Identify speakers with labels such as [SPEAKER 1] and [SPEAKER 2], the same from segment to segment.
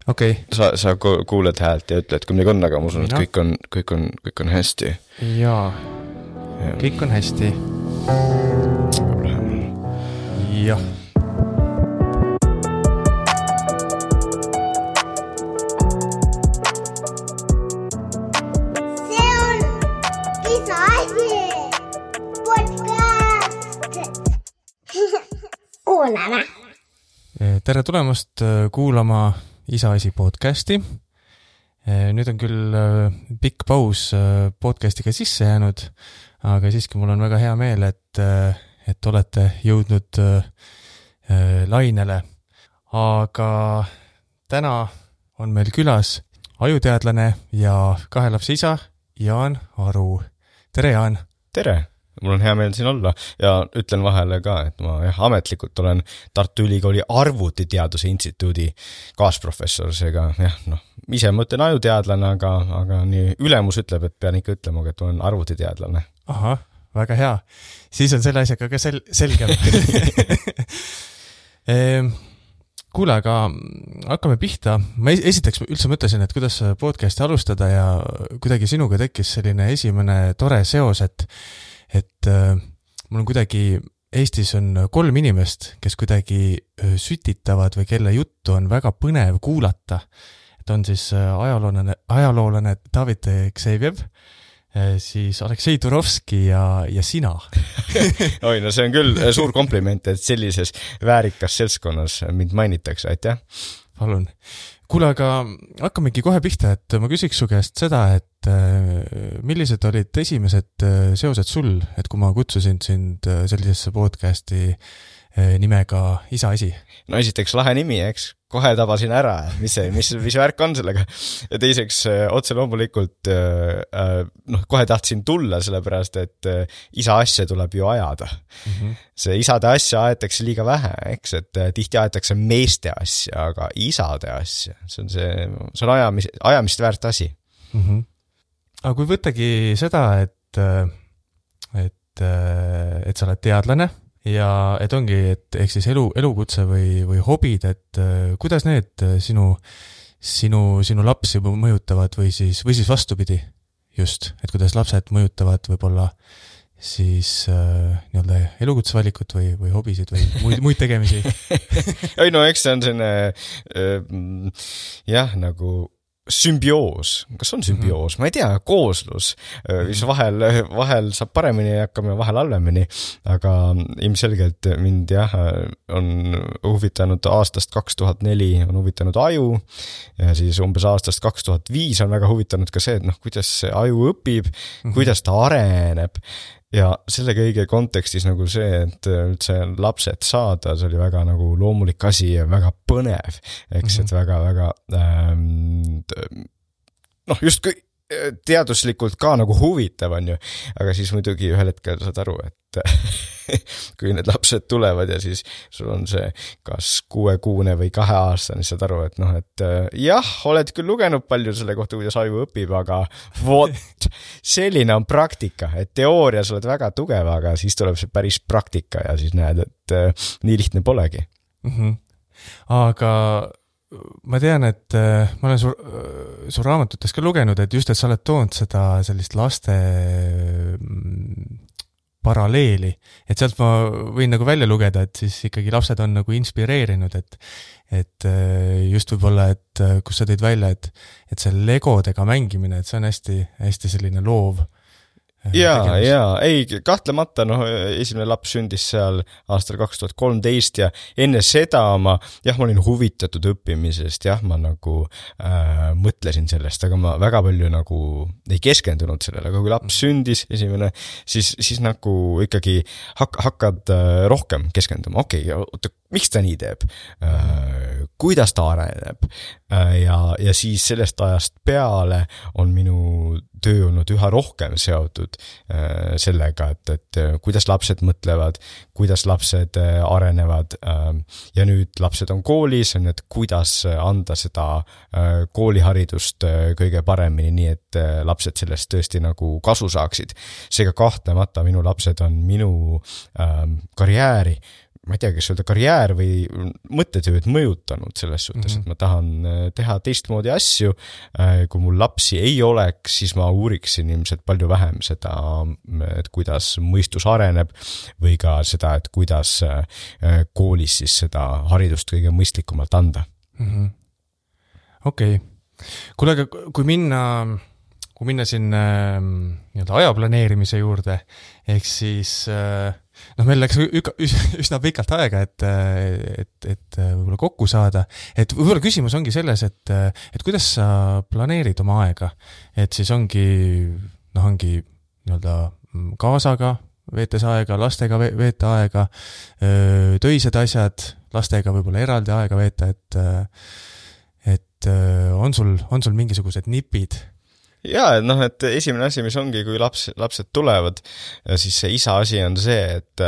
[SPEAKER 1] okei.
[SPEAKER 2] Sa kuuled häält ja ütled, kui midagi on, aga ma usun, et kõik on hästi.
[SPEAKER 1] Jaa, kõik on hästi. Jah.
[SPEAKER 3] See on isa asi podcast. Kuulame.
[SPEAKER 1] Tere tulemast kuulama Isa asi podcasti. Nüüd on küll pikk paus podcastiga sisse jäänud, aga siiski mul on väga hea meel, et olete jõudnud lainele. Aga täna on meil külas ajuteadlane ja kahe lapse isa Jaan Aru. Tere, Jaan!
[SPEAKER 2] Tere! Mul on hea meel siin olla ja ütlen vahele ka, et ma ametlikult olen Tartu Ülikooli Arvutiteaduse instituudi kaasprofessor, seega ise mõtlen ajuteadlane, aga nii ülemus ütleb, et pean ikka ütlema, et olen arvutiteadlane.
[SPEAKER 1] Aha, väga hea. Siis on selle asjaga ka selgem. Kuule, aga hakkame pihta. Ma esiteks üldse mõtlesin, et kuidas podcasti alustada ja kuidagi sinuga tekkis selline esimene tore seos, et mul on kuidagi, Eestis on 3 inimest, kes kuidagi sütitavad või kelle juttu on väga põnev kuulata. Et on siis ajaloolane David Ksevjev, siis Aleksei Turovski ja sina.
[SPEAKER 2] Oi, no see on küll suur kompliment, et sellises väärikas seltskonnas mind mainitakse, aitäh.
[SPEAKER 1] Palun. Kuule, aga hakkamegi kohe pihta, et ma küsiks su käest seda, et millised olid esimesed seosed sul, et kui ma kutsusin sind sellisesse podcasti nimega Isa asi?
[SPEAKER 2] No esiteks lahe nimi, eks? Kohe tabasin ära, mis värk on sellega. Ja teiseks otse loomulikult kohe tahtsin tulla, sellepärast, et isa asja tuleb ju ajada. Mm-hmm. See isade asja aetakse liiga vähe, eks? Et tihti aetakse meeste asja, aga isade asja. See on ajamist väärt asi.
[SPEAKER 1] Mm-hmm. Aga kui võttagi seda, et sa oled teadlane ja et ongi, et ehk siis elukutse või hobid, et kuidas need sinu lapsi mõjutavad või siis vastupidi just, et kuidas lapsed mõjutavad võib-olla siis nii-öelda elukutsevalikut või hobisid või muid tegemisi?
[SPEAKER 2] Ei no, eks see on selline nagu sümbioos. Kas on sümbioos? Ma ei tea, kooslus, mis vahel saab paremini ja hakkame vahel halvemini, aga ilmselgelt mind on huvitanud aastast 2004 on huvitanud aju ja siis umbes aastast 2005 on väga huvitanud ka see, et kuidas see aju õpib, kuidas ta areneb. Ja selle kõige kontekstis nagu see, et üldse lapsed saada, see oli väga nagu loomulik asi ja väga põnev, eks, et väga justkui teaduslikult ka nagu huvitav on ju, aga siis muidugi ühel hetkel saad aru, et kui need lapsed tulevad ja siis sul on see kas 6-kuune või 2-aastane, saad aru, et oled küll lugenud palju selle kohta, kuidas aju õpib, aga selline on praktika, et teoorias oled väga tugev, aga siis tuleb see päris praktika ja siis näed, et nii lihtne polegi.
[SPEAKER 1] Mm-hmm. Aga ma tean, et ma olen su raamatutes ka lugenud, et just, et sa oled toonud seda sellist laste paralleeli, et sealt ma võin nagu välja lugeda, et siis ikkagi lapsed on nagu inspireerinud, et just võib-olla, et kus sa tõid välja, et see legodega mängimine, et see on hästi, hästi selline loov.
[SPEAKER 2] Ei, kahtlemata, esimene laps sündis seal aastal 2013 ja enne seda ma olin huvitatud õppimisest, ma nagu mõtlesin sellest, aga ma väga palju nagu ei keskendunud sellele, aga kui laps sündis esimene, siis nagu ikkagi hakkad rohkem keskenduma, miks ta nii teeb, kuidas ta areneb ja siis sellest ajast peale on minu töö olnud üha rohkem seotud sellega, et kuidas lapsed mõtlevad, kuidas lapsed arenevad ja nüüd lapsed on koolis, et kuidas anda seda kooliharidust kõige paremini, nii et lapsed sellest tõesti nagu kasu saaksid. Seega kahtlemata minu lapsed on minu karjääri ma ei tea, kas öelda karjäär või mõttetööd mõjutanud selles suhtes, et ma tahan teha teistmoodi asju. Kui mul lapsi ei oleks, siis ma uuriksin ilmselt palju vähem seda, et kuidas mõistus areneb või ka seda, et kuidas koolis siis seda haridust kõige mõistlikumalt anda.
[SPEAKER 1] Okei. Kuule, aga kui minna siin nii-öelda aja planeerimise juurde, ehk siis meil läks üsna pikalt aega, et võib-olla kokku saada. Et võib-olla küsimus ongi selles, et kuidas sa planeerid oma aega, et siis ongi nii-öelda kaasaga veetes aega, lastega veeta aega, töised asjad, lastega võib-olla eraldi aega veeta, et on sul mingisugused nipid?
[SPEAKER 2] Jaa, et esimene asi, mis ongi, kui lapsed tulevad, siis see isa asi on see, et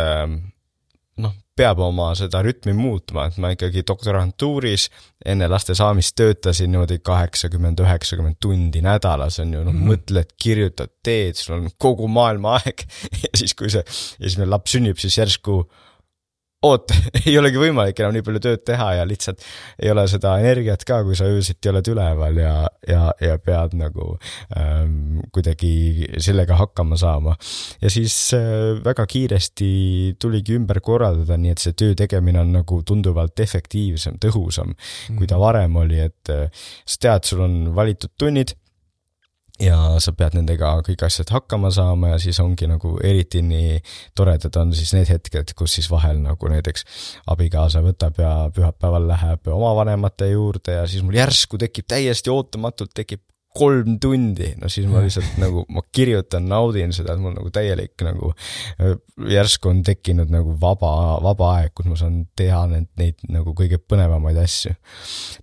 [SPEAKER 2] peab oma seda rütmi muutma, et ma ikkagi doktorantuuris enne laste saamist töötasin niimoodi 80-90 tundi nädalas, on ju, mõtled, kirjutad, teed, sul on kogu maailma aeg ja siis, kui see esimene laps sünnib, siis järsku ei olegi võimalik enam nii palju tööd teha ja lihtsalt ei ole seda energiat ka, kui sa öösiti oled üleval ja pead nagu kuidagi sellega hakkama saama. Ja siis väga kiiresti tuligi ümber korraldada, nii et see töö tegemine on nagu tunduvalt efektiivsem, tõhusam, kui ta varem oli, et sa tead, sul on valitud tunnid, ja sa pead nendega kõik asjad hakkama saama ja siis ongi nagu eriti nii toredad on siis need hetked, kus siis vahel nagu näiteks abikaasa võtab ja pühapäeval läheb oma vanemate juurde ja siis mul järsku tekib täiesti ootamatult 3 tundi, siis ma lihtsalt nagu, ma kirjutan, naudin seda, et mul nagu täielik nagu järsku on tekkinud nagu vaba aeg, kus ma saan teha neid nagu kõige põnevamaid asju.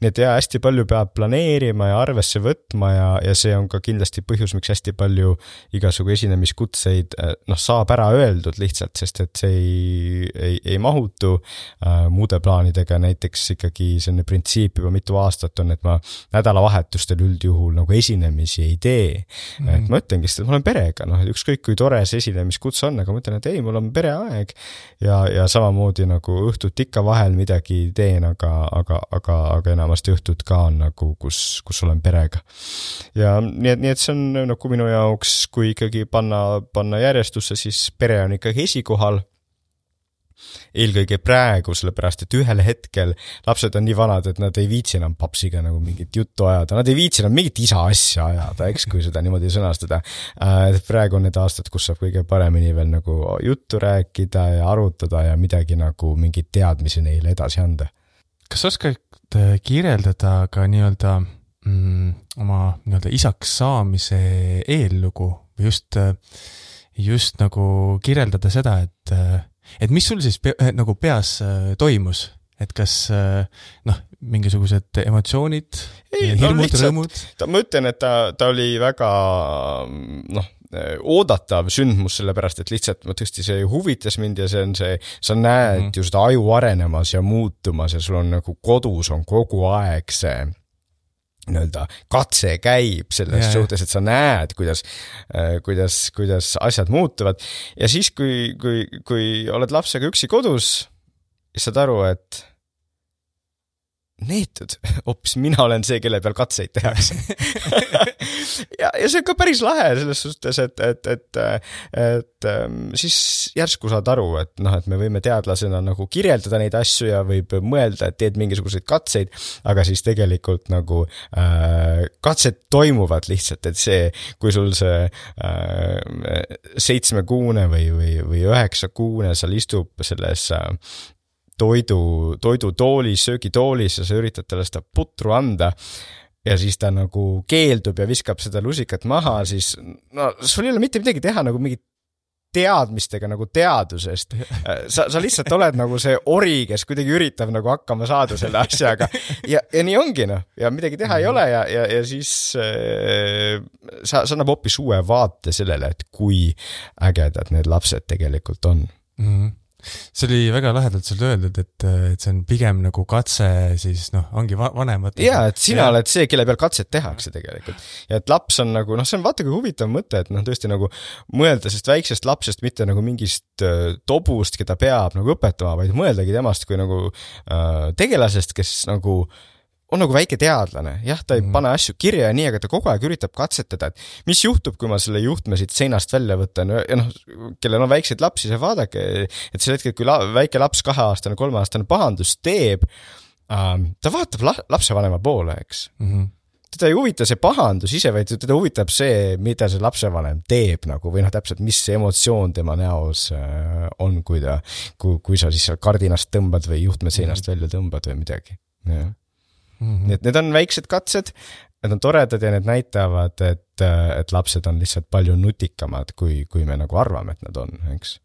[SPEAKER 2] Nii et hästi palju peab planeerima ja arvesse võtma ja see on ka kindlasti põhjus, miks hästi palju igasugu esinemiskutseid saab ära öeldud lihtsalt, sest et see ei mahutu muude plaanidega, näiteks ikkagi selline printsiip juba mitu aastat on, et ma nädalavahetustel üldjuhul nagu esinemisi ei tee. Et ma ütlengi, et ma olen perega, ükskõik kui tore see esinemiskutse on, aga ma ütlen, et ei, mul on pereaeg ja samamoodi nagu õhtut ikka vahel midagi teen, aga enamasti õhtut ka on nagu, kus olen perega. Ja nii et see on nagu minu jaoks, kui ikkagi panna järjestusse, siis pere on ikkagi esikohal. Eelkõige praegu, sellepärast, et ühel hetkel lapsed on nii vanad, et nad ei viitsi enam papsiga nagu mingit juttu ajada, nad ei viitsi enam mingit isa asja ajada, eks, kui seda niimoodi sõnastada. Praegu on need aastad, kus saab kõige paremini veel nagu juttu rääkida ja arutada ja midagi nagu mingit teadmisi neile edasi anda.
[SPEAKER 1] Kas oskad kirjeldada ka nii-öelda oma nii-öelda isaks saamise eellugu või just nagu kirjeldada seda, et mis sul siis nagu peas toimus, et kas mingisugused emotsioonid, hirmud, rõõmud?
[SPEAKER 2] Ma ütlen, et ta oli väga oodatav sündmus, sellepärast, et lihtsalt ma tõesti see huvitas mind ja see on see, sa näed ju seda aju arenemas ja muutumas ja sul on nagu kodus on kogu aeg see katse käib selles suhtes, et sa näed, kuidas asjad muutuvad. Ja siis, kui oled lapsega üksi kodus, siis saad aru, et neetud, hoopis mina olen see, kelle peal katseid tehakse. ja see on ka päris lahe selles suhtes, et siis järsku saad aru, et me võime teadlasena nagu kirjeldada neid asju ja võib mõelda, et teed mingisuguseid katseid, aga siis tegelikult nagu katsed toimuvad lihtsalt, et see, kui sul see 7-kuune või 9-kuune seal istub selles toidutoolis, söögitoolis ja sa üritad talle seda putru anda ja siis ta nagu keeldub ja viskab seda lusikat maha, siis sul ei ole mitte midagi teha nagu mingit teadmistega nagu teadusest. Sa lihtsalt oled nagu see ori, kes kuidagi üritab nagu hakkama saada selle asjaga ja nii ongi ja midagi teha ei ole ja siis sa annab hoopis uue vaate sellele, et kui ägedad need lapsed tegelikult on.
[SPEAKER 1] See oli väga lahedalt sul öeldud, et see on pigem nagu katse siis ongi vanemad.
[SPEAKER 2] Jaa, et sina oled see, kelle peal katset tehakse tegelikult. Ja et laps on nagu, see on vaata kui huvitav mõte, et tõesti nagu mõelda sest väiksest lapsest mitte nagu mingist tobust, keda peab nagu õpetama, vaid mõeldagi temast kui nagu tegelasest, kes nagu on nagu väike teadlane. Jah, ta ei pane asju kirja ja nii, aga ta kogu aeg üritab katsetada, et mis juhtub, kui ma selle juhtme siit seinast välja võtan ja kellel on väikseid lapsi, see vaadake, et sel hetkel, kui väike laps 2-aastane, 3-aastane pahandus teeb, ta vaatab lapsevanema poole, eks. Teda ei huvita see pahandus ise, vaid teda huvitab see, mida see lapsevanem teeb nagu, või täpselt, mis see emotsioon tema näos on, kui sa siis seal kardinast tõmbad või juhtme seinast välja tõmbad või midagi. Jah. Need on väiksed katsed, need on toredad ja need näitavad, et lapsed on lihtsalt palju nutikamad, kui me nagu arvame, et nad on, eks.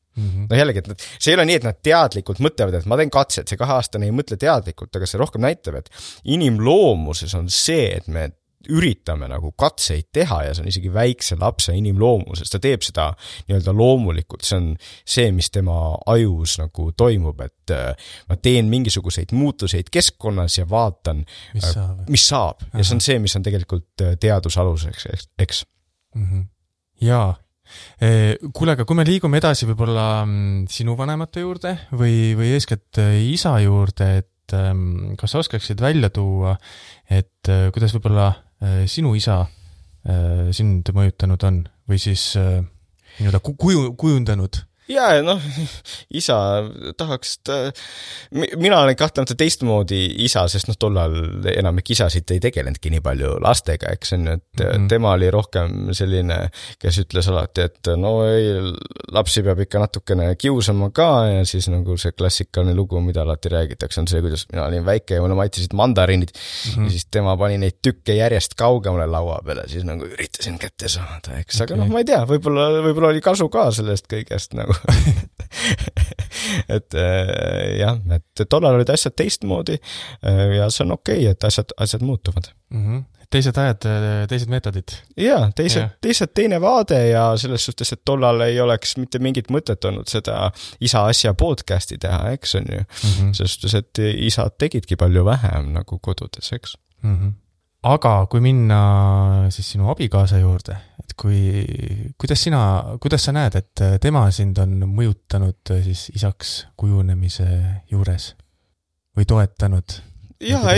[SPEAKER 2] Jällegi, et see ei ole nii, et nad teadlikult mõtlevad, et ma teen katset, see 2-aastane ei mõtle teadlikult, aga see rohkem näitab, et inimloomuses on see, et me üritame nagu katseid teha ja see on isegi väikse lapse inimloomuses, ta teeb seda nii-öelda loomulikult, see on see, mis tema ajus nagu toimub, et ma teen mingisuguseid muutuseid keskkonnas ja vaatan, mis saab. Ja see on see, mis on tegelikult teadusaluseks, eks?
[SPEAKER 1] Jaa. Kuule, aga kui me liigume edasi võib-olla sinu vanemate juurde või eeskätt isa juurde, et kas sa oskaksid välja tuua, et kuidas võib-olla sinu isa sind mõjutanud on või siis kujundanud?
[SPEAKER 2] Jaa, isa tahaks, mina olen kahtlemata teistmoodi isa, sest tollal enamik isasid ei tegelenudki nii palju lastega, eks on, et tema oli rohkem selline, kes ütles alati, et lapsi peab ikka natukene kiusama ka ja siis nagu see klassikaline lugu, mida alati räägitakse, on see, kuidas mina olin väike ja mulle maitisid mandariinid ja siis tema pani neid tükke järjest kaugemale laua peale, siis nagu üritasin kätte saada, eks, aga ma ei tea, võib-olla oli kasu ka sellest kõigest nagu et jah, et tollal olid asjad teistmoodi ja see on okei, et asjad muutuvad.
[SPEAKER 1] Teised ajad, teised meetodid.
[SPEAKER 2] Jaa, teine vaade ja selles suhtes, et tollal ei oleks mitte mingit mõtet olnud seda isa asja podcasti teha, eks on ju. Selles suhtes, et isad tegidki palju vähem nagu kodudes, eks.
[SPEAKER 1] Aga kui minna siis sinu abikaasa juurde, et kuidas sa näed, et tema sind on mõjutanud siis isaks kujunemise juures või toetanud?
[SPEAKER 2] Jaa,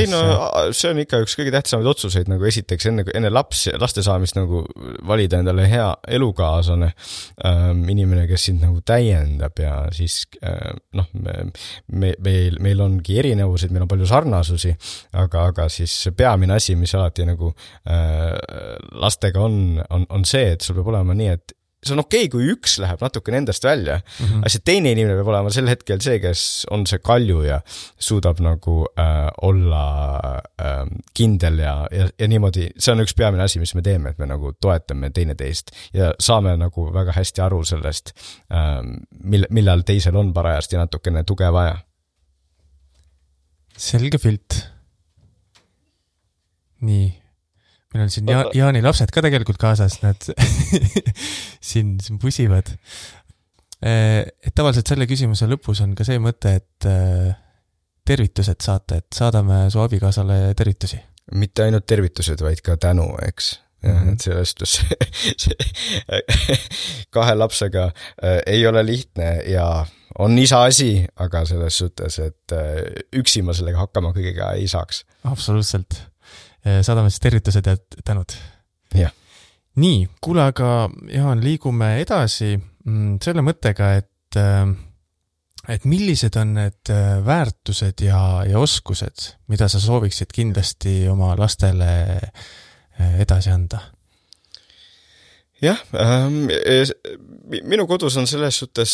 [SPEAKER 2] see on ikka üks kõige tähtsamaid otsuseid, nagu esiteks enne laste saamist nagu valida endale hea elukaaslane, inimene, kes sind nagu täiendab ja siis meil ongi erinevused, meil on palju sarnasusi, aga siis peamine asi, mis alati nagu lastega on see, et sul peab olema nii, et see on okei, kui üks läheb natukene endast välja, aga see teine inimene peab olema sel hetkel see, kes on see kalju ja suudab nagu olla kindel ja niimoodi, see on üks peamine asi, mis me teeme, et me nagu toetame teineteist ja saame nagu väga hästi aru sellest, millal teisel on parajasti natukene tuge vaja.
[SPEAKER 1] Selge pilt. Nii. Meil on siin Jaani lapsed ka tegelikult kaasas, nad siin pusivad. Et tavaliselt selle küsimuse lõpus on ka see mõte, et tervitused saate, et saadame su abikaasale tervitusi.
[SPEAKER 2] Mitte ainult tervitused, vaid ka tänu, eks. Et sellest kahe lapsega ei ole lihtne ja on isa asi, aga selles suhtes, et üksi ma sellega hakkama kõigega ei saaks.
[SPEAKER 1] Absoluutselt. Saadame siis tervitused ja tänud.
[SPEAKER 2] Ja.
[SPEAKER 1] Nii, kuule, aga Jaan, liigume edasi selle mõttega, et millised on need väärtused ja oskused, mida sa sooviksid kindlasti oma lastele edasi anda?
[SPEAKER 2] Jah, minu kodus on selles suhtes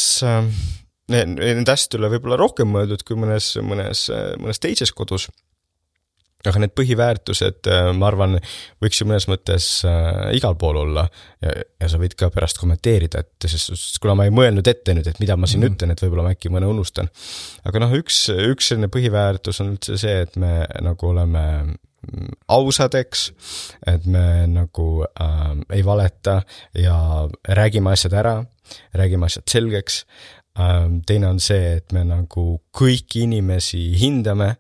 [SPEAKER 2] need asjad üle võib-olla rohkem mõeldud kui mõnes teises kodus. Aga need põhiväärtused, ma arvan, võiks ju mõnes mõttes igal pool olla ja sa võid ka pärast kommenteerida, et sest kuna ma ei mõelnud ette nüüd, et mida ma siin ütlen, et võib-olla ma äkki mõne unustan. Aga üks selline põhiväärtus on üldse see, et me nagu oleme ausadeks, et me nagu ei valeta ja räägime asjad ära, räägime asjad selgeks, Teine on see, et me nagu kõiki inimesi hindame.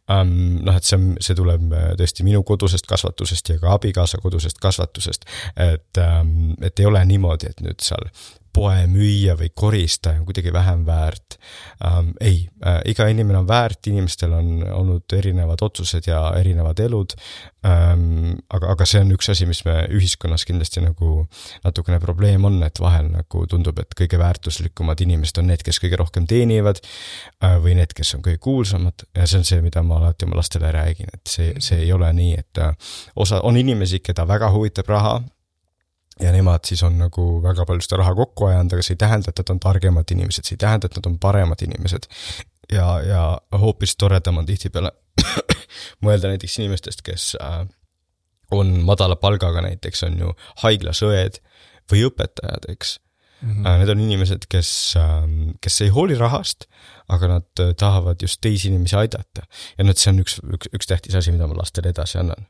[SPEAKER 2] Et see tuleb tõesti minu kodusest kasvatusest ja ka abikaasa kodusest kasvatusest, et ei ole niimoodi, et nüüd seal poemüüja või koristaja on kuidagi vähem väärt. Iga inimene on väärt, inimestel on olnud erinevad otsused ja erinevad elud, aga see on üks asi, mis me ühiskonnas kindlasti nagu natukene probleem on, et vahel nagu tundub, et kõige väärtuslikumad inimesed on need, kes kõige rohkem teenivad või need, kes on kõige kuulsamad ja see on see, mida ma alati oma lastele räägin, et see ei ole nii, et on inimesi, keda väga huvitab raha, ja nemad siis on nagu väga palju seda raha kokku ajanud, aga see ei tähenda, et nad on targemad inimesed, see ei tähenda, et nad on paremad inimesed. Ja hoopis toredam on tihtipeale mõelda näiteks inimestest, kes on madala palgaga, näiteks on ju haiglasõed või õpetajad, eks. Need on inimesed, kes ei hooli rahast, aga nad tahavad just teisi inimesi aidata. Ja see on üks tähtis asi, mida ma lastele edasi annan.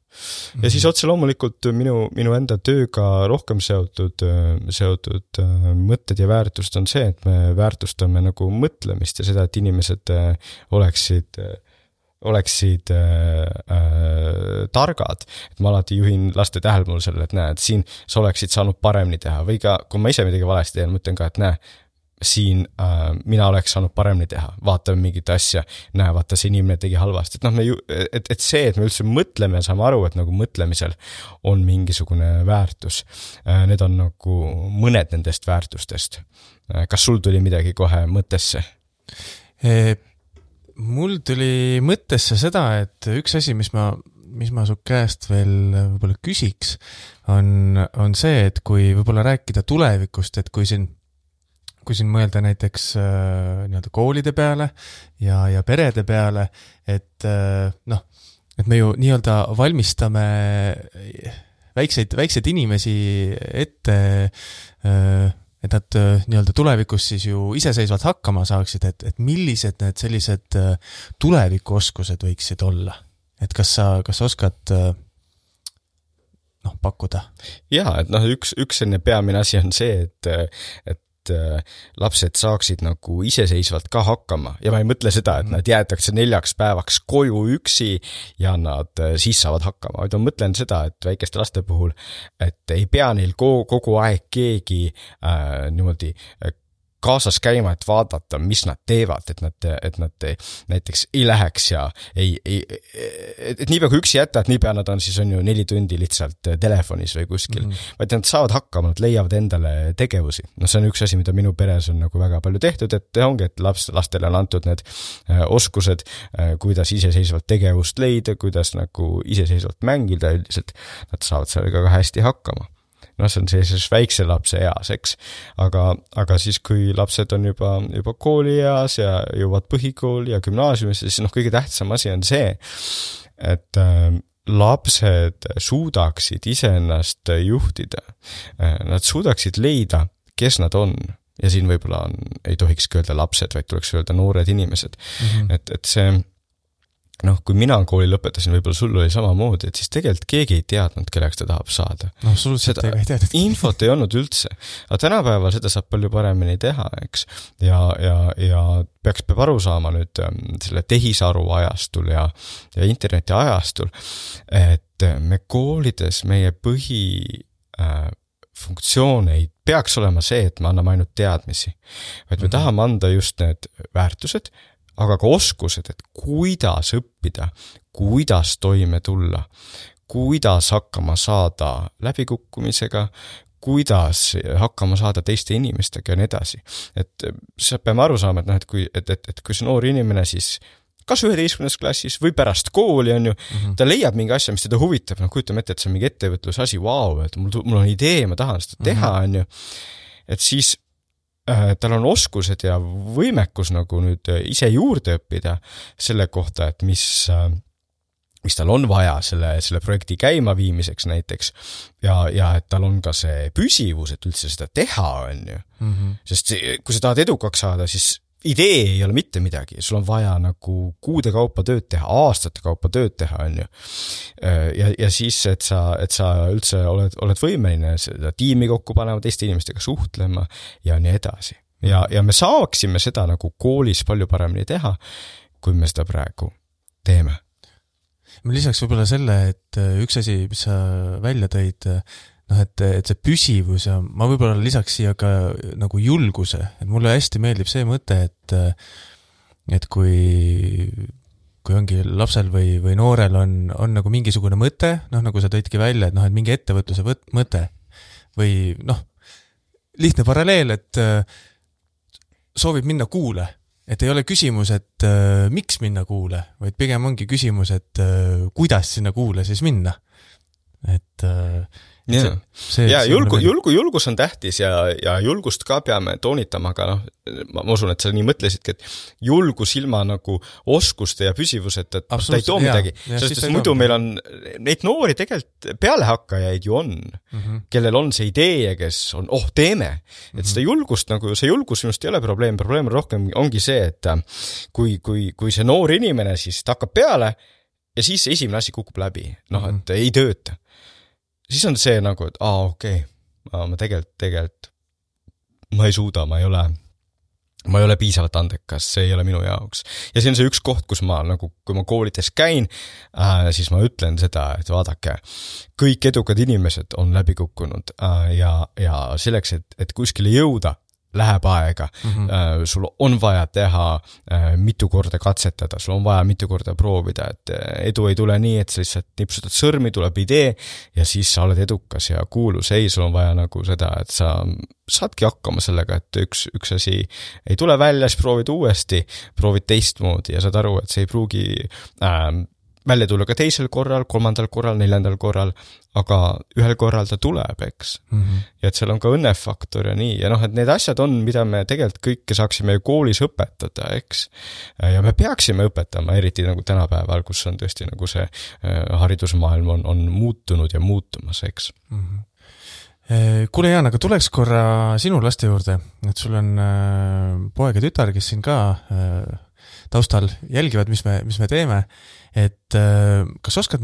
[SPEAKER 2] Ja siis otse loomulikult minu enda tööga rohkem seotud mõtted ja väärtust on see, et me väärtustame nagu mõtlemist ja seda, et inimesed oleksid targad, et ma alati juhin laste tähelepanu sellele, et näed, siin sa oleksid saanud paremini teha või ka, kui ma ise midagi valesti teen, mõtlen ka, et näe, siin mina oleks saanud paremini teha, vaatame mingit asja, näe, vaata see inimene tegi halvasti, et see, et me üldse mõtleme ja saame aru, et nagu mõtlemisel on mingisugune väärtus, need on nagu mõned nendest väärtustest. Kas sul tuli midagi kohe mõttesse?
[SPEAKER 1] Mul tuli mõttesse seda, et üks asi, mis ma su käest veel võib-olla küsiks, on see, et kui võib-olla rääkida tulevikust, et kui siin mõelda näiteks nii-öelda koolide peale ja perede peale, et et me ju nii-öelda valmistame väikseid inimesi ette, et nad nii-öelda tulevikus siis ju iseseisvalt hakkama saaksid, et millised need sellised tulevikuoskused võiksid olla? Et kas sa oskad pakkuda?
[SPEAKER 2] Jaa, et üks selline peamine asi on see, et lapsed saaksid nagu iseseisvalt ka hakkama ja ma ei mõtle seda, et nad jäetakse 4 päevaks koju üksi ja nad siis saavad hakkama, vaid ma mõtlen seda, et väikeste laste puhul, et ei pea neil kogu aeg keegi niimoodi kaasas käima, et vaadata, mis nad teevad, et nad näiteks ei läheks ja et niipea kui üksi jätta, et niipea nad on siis on ju 4 tundi lihtsalt telefonis või kuskil, vaid nad saavad hakkama, nad leiavad endale tegevusi. See on üks asi, mida minu peres on nagu väga palju tehtud, et ongi, et lastele on antud need oskused, kuidas iseseisvalt tegevust leida, kuidas nagu iseseisvalt mängida üldiselt, nad saavad sellega ka hästi hakkama. See on sellises väikse lapse eas, eks. Aga siis, kui lapsed on juba kooli eas ja jõuavad põhikooli ja gümnaasiumisse, siis kõige tähtsam asi on see, et lapsed suudaksid iseennast juhtida. Nad suudaksid leida, kes nad on. Ja siin võib-olla ei tohikski öelda lapsed, vaid tuleks öelda noored inimesed. Et see kui mina kooli lõpetasin, võib-olla sul oli samamoodi, et siis tegelikult keegi ei teadnud, kelleks ta tahab saada.
[SPEAKER 1] Absoluutselt ei teadnud.
[SPEAKER 2] Infot ei olnud üldse. Aga tänapäeval seda saab palju paremini teha, eks. Ja peab aru saama nüüd selle tehisaru ajastul ja interneti ajastul, et me koolides meie funktsioon ei peaks olema see, et me anname ainult teadmisi. Vaid me tahame anda just need väärtused, aga ka oskused, et kuidas õppida, kuidas toime tulla, kuidas hakkama saada läbikukkumisega, kuidas hakkama saada teiste inimestega ja nii edasi. Et sa peame aru saama, et kui see noor inimene siis kas 11. klassis või pärast kooli on ju, ta leiab mingi asja, mis teda huvitab, kujutame ette, et see on mingi ettevõtluse asi, et mul on idee, ma tahan seda teha, on ju. Et siis tal on oskused ja võimekus nagu nüüd ise juurde õppida selle kohta, et mis tal on vaja selle projekti käima viimiseks näiteks ja et tal on ka see püsivus, et üldse seda teha on ju. Sest kui sa tahad edukaks saada, siis idee ei ole mitte midagi, sul on vaja nagu kuude kaupa tööd teha, aastate kaupa tööd teha on ju. Ja siis, et sa üldse oled võimeline seda tiimi kokku panema, teiste inimestega suhtlema ja nii edasi. ja me saaksime seda nagu koolis palju paremini teha, kui me seda praegu teeme.
[SPEAKER 1] Ma lisaks võib-olla selle, et üks asi, mis sa välja tõid, noh, et see püsivus ja ma võib-olla lisaks siia ka nagu julguse, et mulle hästi meeldib see mõte, et kui ongi lapsel või noorel on nagu mingisugune mõte, noh, nagu sa tõidki välja, et noh, et mingi ettevõtluse mõte või noh, lihtne paralleel, et soovib minna kuule, et ei ole küsimus, et miks minna kuule, vaid pigem ongi küsimus, et kuidas sinna kuule siis minna. Et
[SPEAKER 2] julgus on tähtis ja julgust ka peame toonitama, aga noh, ma usun, et sa nii mõtlesidki, et julgus ilma nagu oskuste ja püsivused, et ta ei too midagi, sest muidu meil on neid noori tegelikult pealehakkajaid ju on, kellel on see idee ja kes on, teeme, et seda julgust nagu, see julgus minust ei ole probleem rohkem ongi see, et kui see noor inimene siis ta hakkab peale ja siis esimene asi kukub läbi, noh, et ei tööta. Siis on see nagu, et ma tegelikult ma ei suuda, ma ei ole piisavalt andekas, see ei ole minu jaoks. Ja see on see üks koht, kus ma nagu, kui ma koolides käin, siis ma ütlen seda, et vaadake, kõik edukad inimesed on läbi kukkunud ja selleks, et kuskile jõuda, läheb aega, sul on vaja teha mitu korda katsetada, sul on vaja mitu korda proovida, et edu ei tule nii, et sa lihtsalt nipsutad sõrmi, tuleb idee ja siis sa oled edukas ja kuulus, ei, sul on vaja nagu seda, et sa saadki hakkama sellega, et üks asi ei tule välja, siis proovid uuesti, proovid teistmoodi ja saad aru, et see ei pruugi välja tulla ka teisel korral, kolmandal korral, neljandal korral, aga ühel korral ta tuleb, eks. Ja et seal on ka õnnefaktor ja nii. Ja noh, et need asjad on, mida me tegelikult kõike saaksime koolis õpetada, eks. Ja me peaksime õpetama, eriti nagu tänapäeval, kus on tõesti nagu see haridusmaailm on muutunud ja muutumas, eks.
[SPEAKER 1] Kuule Jaan, aga tuleks korra sinu laste juurde, et sul on poeg ja tütar, kes siin ka taustal jälgivad, mis me teeme, et kas oskad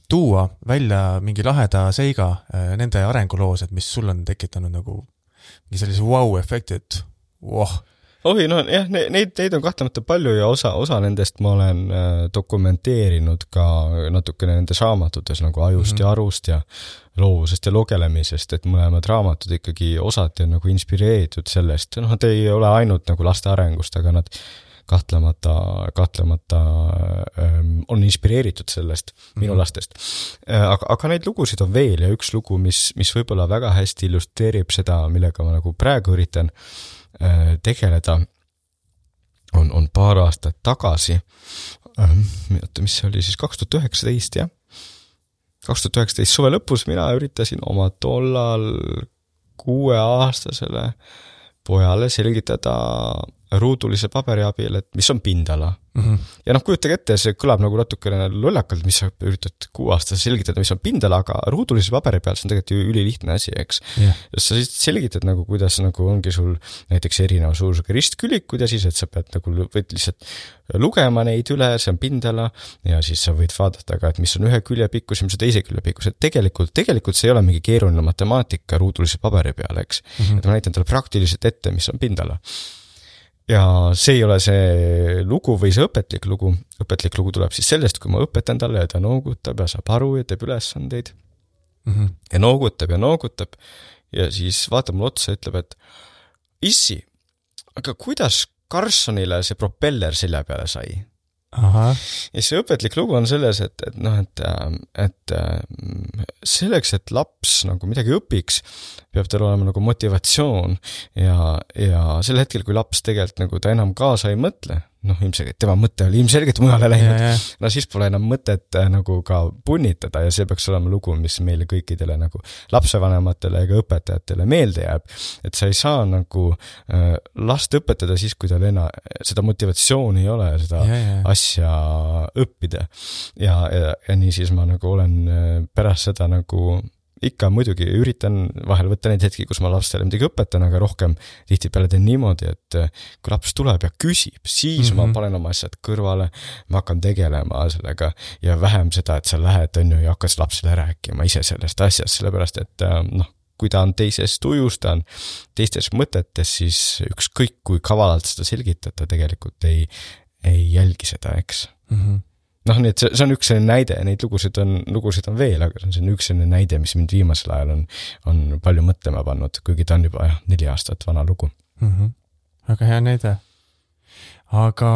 [SPEAKER 1] tuua välja mingi laheda seiga nende arenguloos, et mis sul on tekitanud nagu mingi sellise wow-efekti, et
[SPEAKER 2] neid on kahtlemata palju ja osa nendest ma olen dokumenteerinud ka natukene nendes raamatutes nagu Ajust ja arust ja loovusest ja logelemisest, et mõlemad raamatud ikkagi osati on nagu inspireeritud sellest, noh, nad ei ole ainult nagu laste arengust, aga nad kahtlemata on inspireeritud sellest minu lastest. Aga neid lugusid on veel ja üks lugu, mis võib-olla väga hästi illustreerib seda, millega ma nagu praegu üritan tegeleda, on paar aastat tagasi, mis oli siis 2019, jah. 2019 suve lõpus mina üritasin oma tollal 6-aastasele pojale selgitada ruudulise paberi abil, et mis on pindala. Ja noh, kujutage ette, see kõlab nagu natukene lollakalt, mis sa üritad 6-aastase selgitada, mis on pindala, aga ruudulise paberi peal see on tegelikult ju ülilihtne asi, eks. Sa siis selgitad nagu, kuidas nagu ongi sul näiteks erineva suurusega ristkülikud ja siis, et sa pead nagu võid lihtsalt lugema neid üle, see on pindala ja siis sa võid vaadata ka, et mis on ühe külje pikkus ja mis on teise külje pikkus, et tegelikult see ei ole mingi keeruline matemaatika ruudulise paberi peal, eks. Et ma näitan talle praktiliselt ette, mis on pindala. Ja see ei ole see lugu või see õpetlik lugu. Õpetlik lugu tuleb siis sellest, kui ma õpetan talle ja ta noogutab ja saab aru ja teeb ülesandeid. Ja noogutab ja siis vaatab mulle otsa ja ütleb, et issi, aga kuidas Carsonile see propeller selja peale sai? Ja see õpetlik lugu on selles, et selleks, et laps nagu midagi õpiks, peab tal olema nagu motivatsioon ja sel hetkel, kui laps tegelikult nagu ta enam kaasa ei mõtle, noh, ilmselgelt, tema mõte oli ilmselgelt mujale läinud, no siis pole enam mõtet nagu ka punnitada ja see peaks olema lugu, mis meile kõikidele nagu lapsevanematele ja õpetajatele meelde jääb, et sa ei saa nagu last õpetada siis, kui tal seda motivatsiooni ei ole, seda asja õppida ja nii siis ma nagu olen pärast seda nagu ikka muidugi üritan vahel võtta neid hetki, kus ma lastele midagi õpetan, aga rohkem tihtipeale teen niimoodi, et kui laps tuleb ja küsib, siis ma panen oma asjad kõrvale, ma hakkan tegelema sellega ja vähem seda, et sa lähed ja hakkad lapsele rääkima ise sellest asjast, sellepärast et noh, kui ta on teises tujus, ta on teistes mõtetes, siis ükskõik kui kavalalt seda selgitada, tegelikult ei jälgi seda, eks. Noh, nii et see on üks selline näide, neid lugusid on veel, aga see on üks selline näide, mis mind viimasel ajal on palju mõtlema pannud, kuigi ta on juba 4 aastat vana lugu.
[SPEAKER 1] Väga hea näide. Aga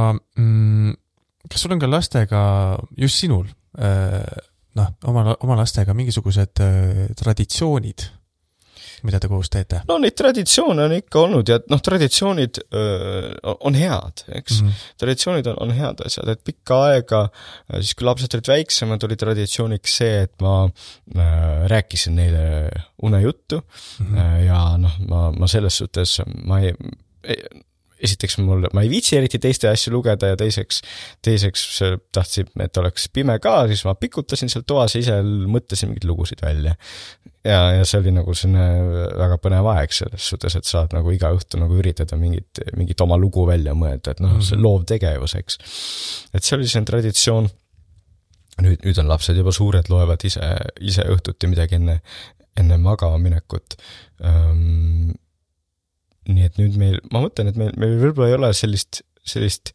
[SPEAKER 1] kas sul on ka lastega, just sinul, oma lastega mingisugused traditsioonid, mida te koos teete?
[SPEAKER 2] No neid traditsioone on ikka olnud ja traditsioonid on head, eks. Traditsioonid on head asjad, et pikka aega, siis kui lapsed olid väiksemad, oli traditsiooniks see, et ma rääkisin neile unejuttu ja ma selles suhtes, esiteks ma ei viitsi eriti teiste asju lugeda ja teiseks tahtsin, et oleks pime ka, siis ma pikutasin seal toas ja ise mõtlesin mingid lugusid välja. Ja see oli nagu selline väga põnev aeg selles suhtes, et saad nagu iga õhtu nagu üritada mingit oma lugu välja mõelda, et see loov tegevus, eks. Et see oli selline traditsioon. Nüüd on lapsed juba suured, loevad ise õhtuti midagi enne magama minekut. Nii et nüüd ma mõtlen, et meil võib-olla ei ole sellist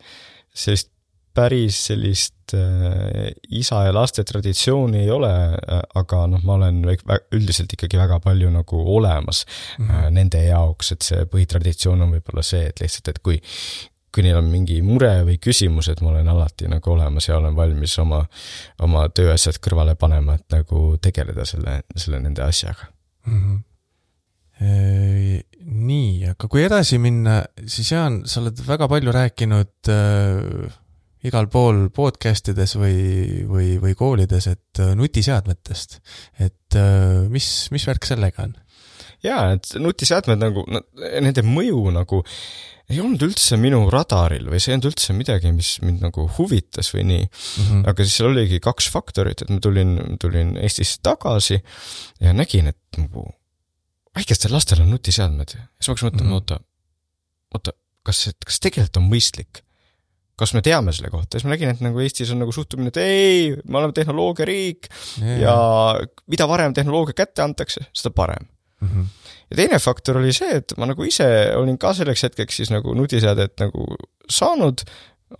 [SPEAKER 2] päris sellist isa ja laste traditsiooni ei ole, aga ma olen üldiselt ikkagi väga palju nagu olemas nende jaoks, et see põhitraditsioon on võib-olla see, et lihtsalt, et kui neil on mingi mure või küsimus, et ma olen alati nagu olemas ja olen valmis oma tööasjad kõrvale panema, et nagu tegeleda selle nende asjaga.
[SPEAKER 1] Nii, aga kui edasi minna, siis Jaan, sa oled väga palju rääkinud igal pool podcastides või koolides, et nutiseadmetest, et mis värk sellega on?
[SPEAKER 2] Jaa, et nutiseadmed nagu, nende mõju nagu ei olnud üldse minu radaril või see ei olnud üldse midagi, mis mind nagu huvitas või nii. Aga siis seal oligi 2 faktorit, et ma tulin Eestisse tagasi ja nägin, et nagu väikestel lastel on nutiseadmed. Siis ma hakkasin mõtlema, oota, kas tegelikult on mõistlik? Kas me teame selle kohta? Siis ma nägin, et nagu Eestis on nagu suhtumine, et ei, me oleme tehnoloogia riik ja mida varem tehnoloogia kätte antakse, seda parem. Ja teine faktor oli see, et ma nagu ise olin ka selleks hetkeks siis nagu nutiseadet nagu saanud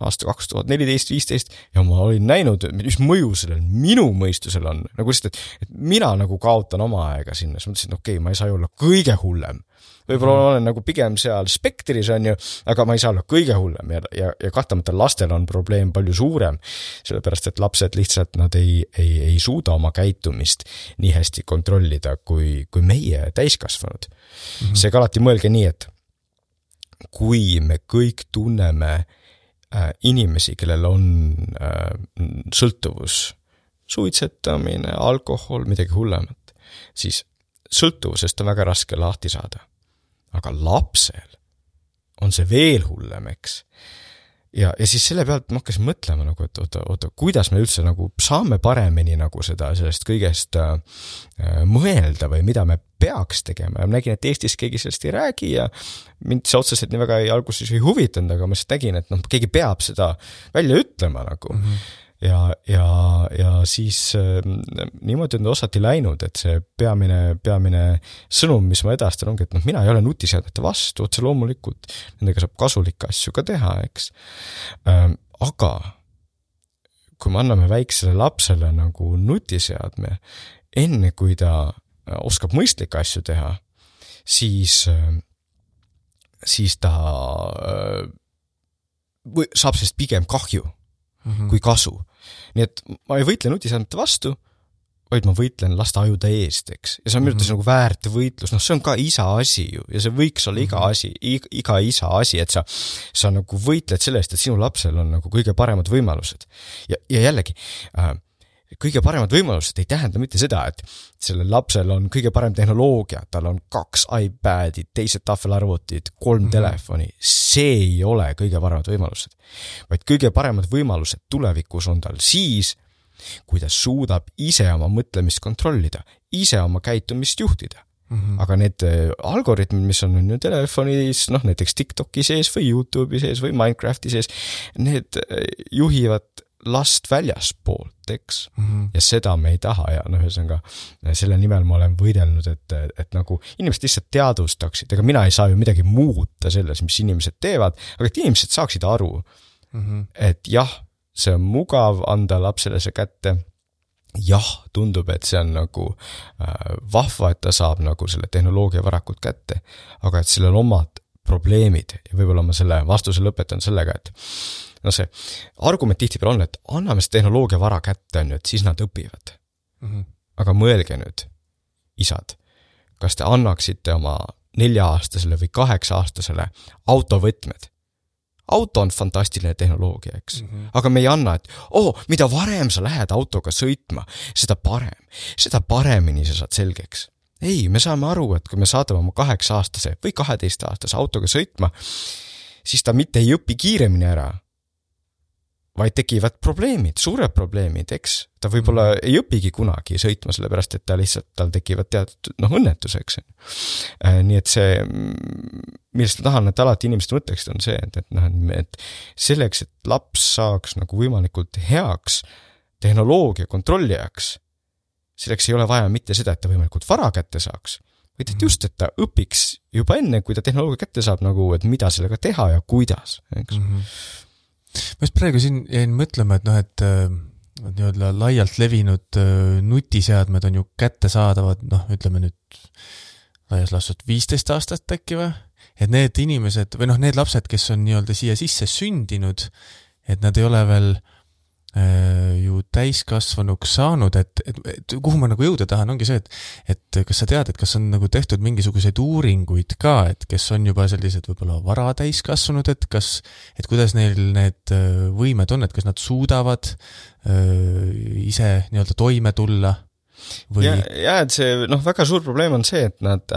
[SPEAKER 2] aasta 2014-15 ja ma olin näinud, mis mõju sellel minu mõistusel on. Nagu lihtsalt, et mina nagu kaotan oma aega sinna. Siis mõtlesin, et okei, ma ei saa olla kõige hullem. Võib-olla olen nagu pigem seal spektris on ju, aga ma ei saa olla kõige hullem ja kahtlemata lastel on probleem palju suurem, sellepärast et lapsed lihtsalt nad ei suuda oma käitumist nii hästi kontrollida kui meie täiskasvanud. Seega alati mõelge nii, et kui me kõik tunneme inimesi, kellel on sõltuvus, suitsetamine, alkohol, midagi hullemat, siis sõltuvusest on väga raske lahti saada. Aga lapsel on see veel hullem, eks. Ja siis selle pealt ma hakkasin mõtlema, nagu, et oota, kuidas me üldse nagu saame paremini nagu sellest kõigest mõelda või mida me peaks tegema. Ja ma nägin, et Eestis keegi sellest ei räägi ja mind see otseselt nii väga alguses ei huvitanud, aga ma siis nägin, et keegi peab seda välja ütlema nagu. Ja siis niimoodi on osati läinud, et see peamine sõnum, mis ma edastan, ongi, et mina ei ole nutiseadmete vastu, otse loomulikult nendega saab kasulikke asju ka teha, eks. Aga kui me anname väiksele lapsele nagu nutiseadme, enne kui ta oskab mõistlikke asju teha, siis ta saab sellest pigem kahju kui kasu. Nii et ma ei võitle nutiseadmete vastu, vaid ma võitlen laste ajude eest, eks. Ja see on minu arvates nagu väärt võitlus, see on ka isa asi ju, ja see võiks olla iga isa asi, et sa nagu võitled selle eest, et sinu lapsel on nagu kõige paremad võimalused. Ja jällegi, kõige paremad võimalused ei tähenda mitte seda, et sellel lapsel on kõige parem tehnoloogia, tal on 2 iPadid, teised tahvelarvutid, 3 telefoni, see ei ole kõige paremad võimalused. Vaid kõige paremad võimalused tulevikus on tal siis, kui ta suudab ise oma mõtlemist kontrollida, ise oma käitumist juhtida. Aga need algoritmid, mis on ju telefonis, näiteks TikToki sees või YouTube'i sees või Minecrafti sees, need juhivad last väljaspoolt, eks. Ja seda me ei taha ja ühesõnaga selle nimel ma olen võidelnud, et nagu inimesed lihtsalt teadvustaksid, ega mina ei saa ju midagi muuta selles, mis inimesed teevad, aga et inimesed saaksid aru, et jah, see on mugav anda lapsele see kätte, jah, tundub, et see on nagu vahva, et ta saab nagu selle tehnoloogia varakult kätte, aga et sellel omad probleemid ja võib-olla ma selle vastuse lõpetan sellega, et no see argument tihtipeale on, et anname see tehnoloogia vara kätte, on ju, et siis nad õpivad. Aga mõelge nüüd, isad, kas te annaksite oma 4-aastasele või 8-aastasele autovõtmed? Auto on fantastiline tehnoloogia, eks. Aga me ei anna, et mida varem sa lähed autoga sõitma, seda paremini sa saad selgeks. Ei, me saame aru, et kui me saadame oma 8-aastase või 12-aastase autoga sõitma, siis ta mitte ei õpi kiiremini ära, vaid tekivad probleemid, suured probleemid, eks. Ta võib-olla ei õpigi kunagi sõitma, sellepärast, et tal tekivad teatud õnnetuseks. Nii et see, millest ma tahan, et alati inimesed mõtleksid, on see, et selleks, et laps saaks nagu võimalikult heaks tehnoloogia kontrollijaks, selleks ei ole vaja mitte seda, et ta võimalikult vara kätte saaks, vaid et just, et ta õpiks juba enne, kui ta tehnoloogia kätte saab, nagu, et mida sellega teha ja kuidas, eks.
[SPEAKER 1] Ma just praegu siin jäin mõtlema, et nii-öelda laialt levinud nutiseadmed on ju kättesaadavad, ütleme nüüd laias laastud 15 aastat äkki või? Et need inimesed, või need lapsed, kes on nii-öelda siia sisse sündinud, et nad ei ole veel ju täiskasvanuks saanud, et kuhu ma nagu jõuda tahan, ongi see, et kas sa tead, et kas on nagu tehtud mingisuguseid uuringuid ka, et kes on juba sellised võib-olla vara täiskasvanud, et kuidas neil need võimed on, et kas nad suudavad ise nii-öelda toime tulla või...
[SPEAKER 2] Ja et see, väga suur probleem on see, et nad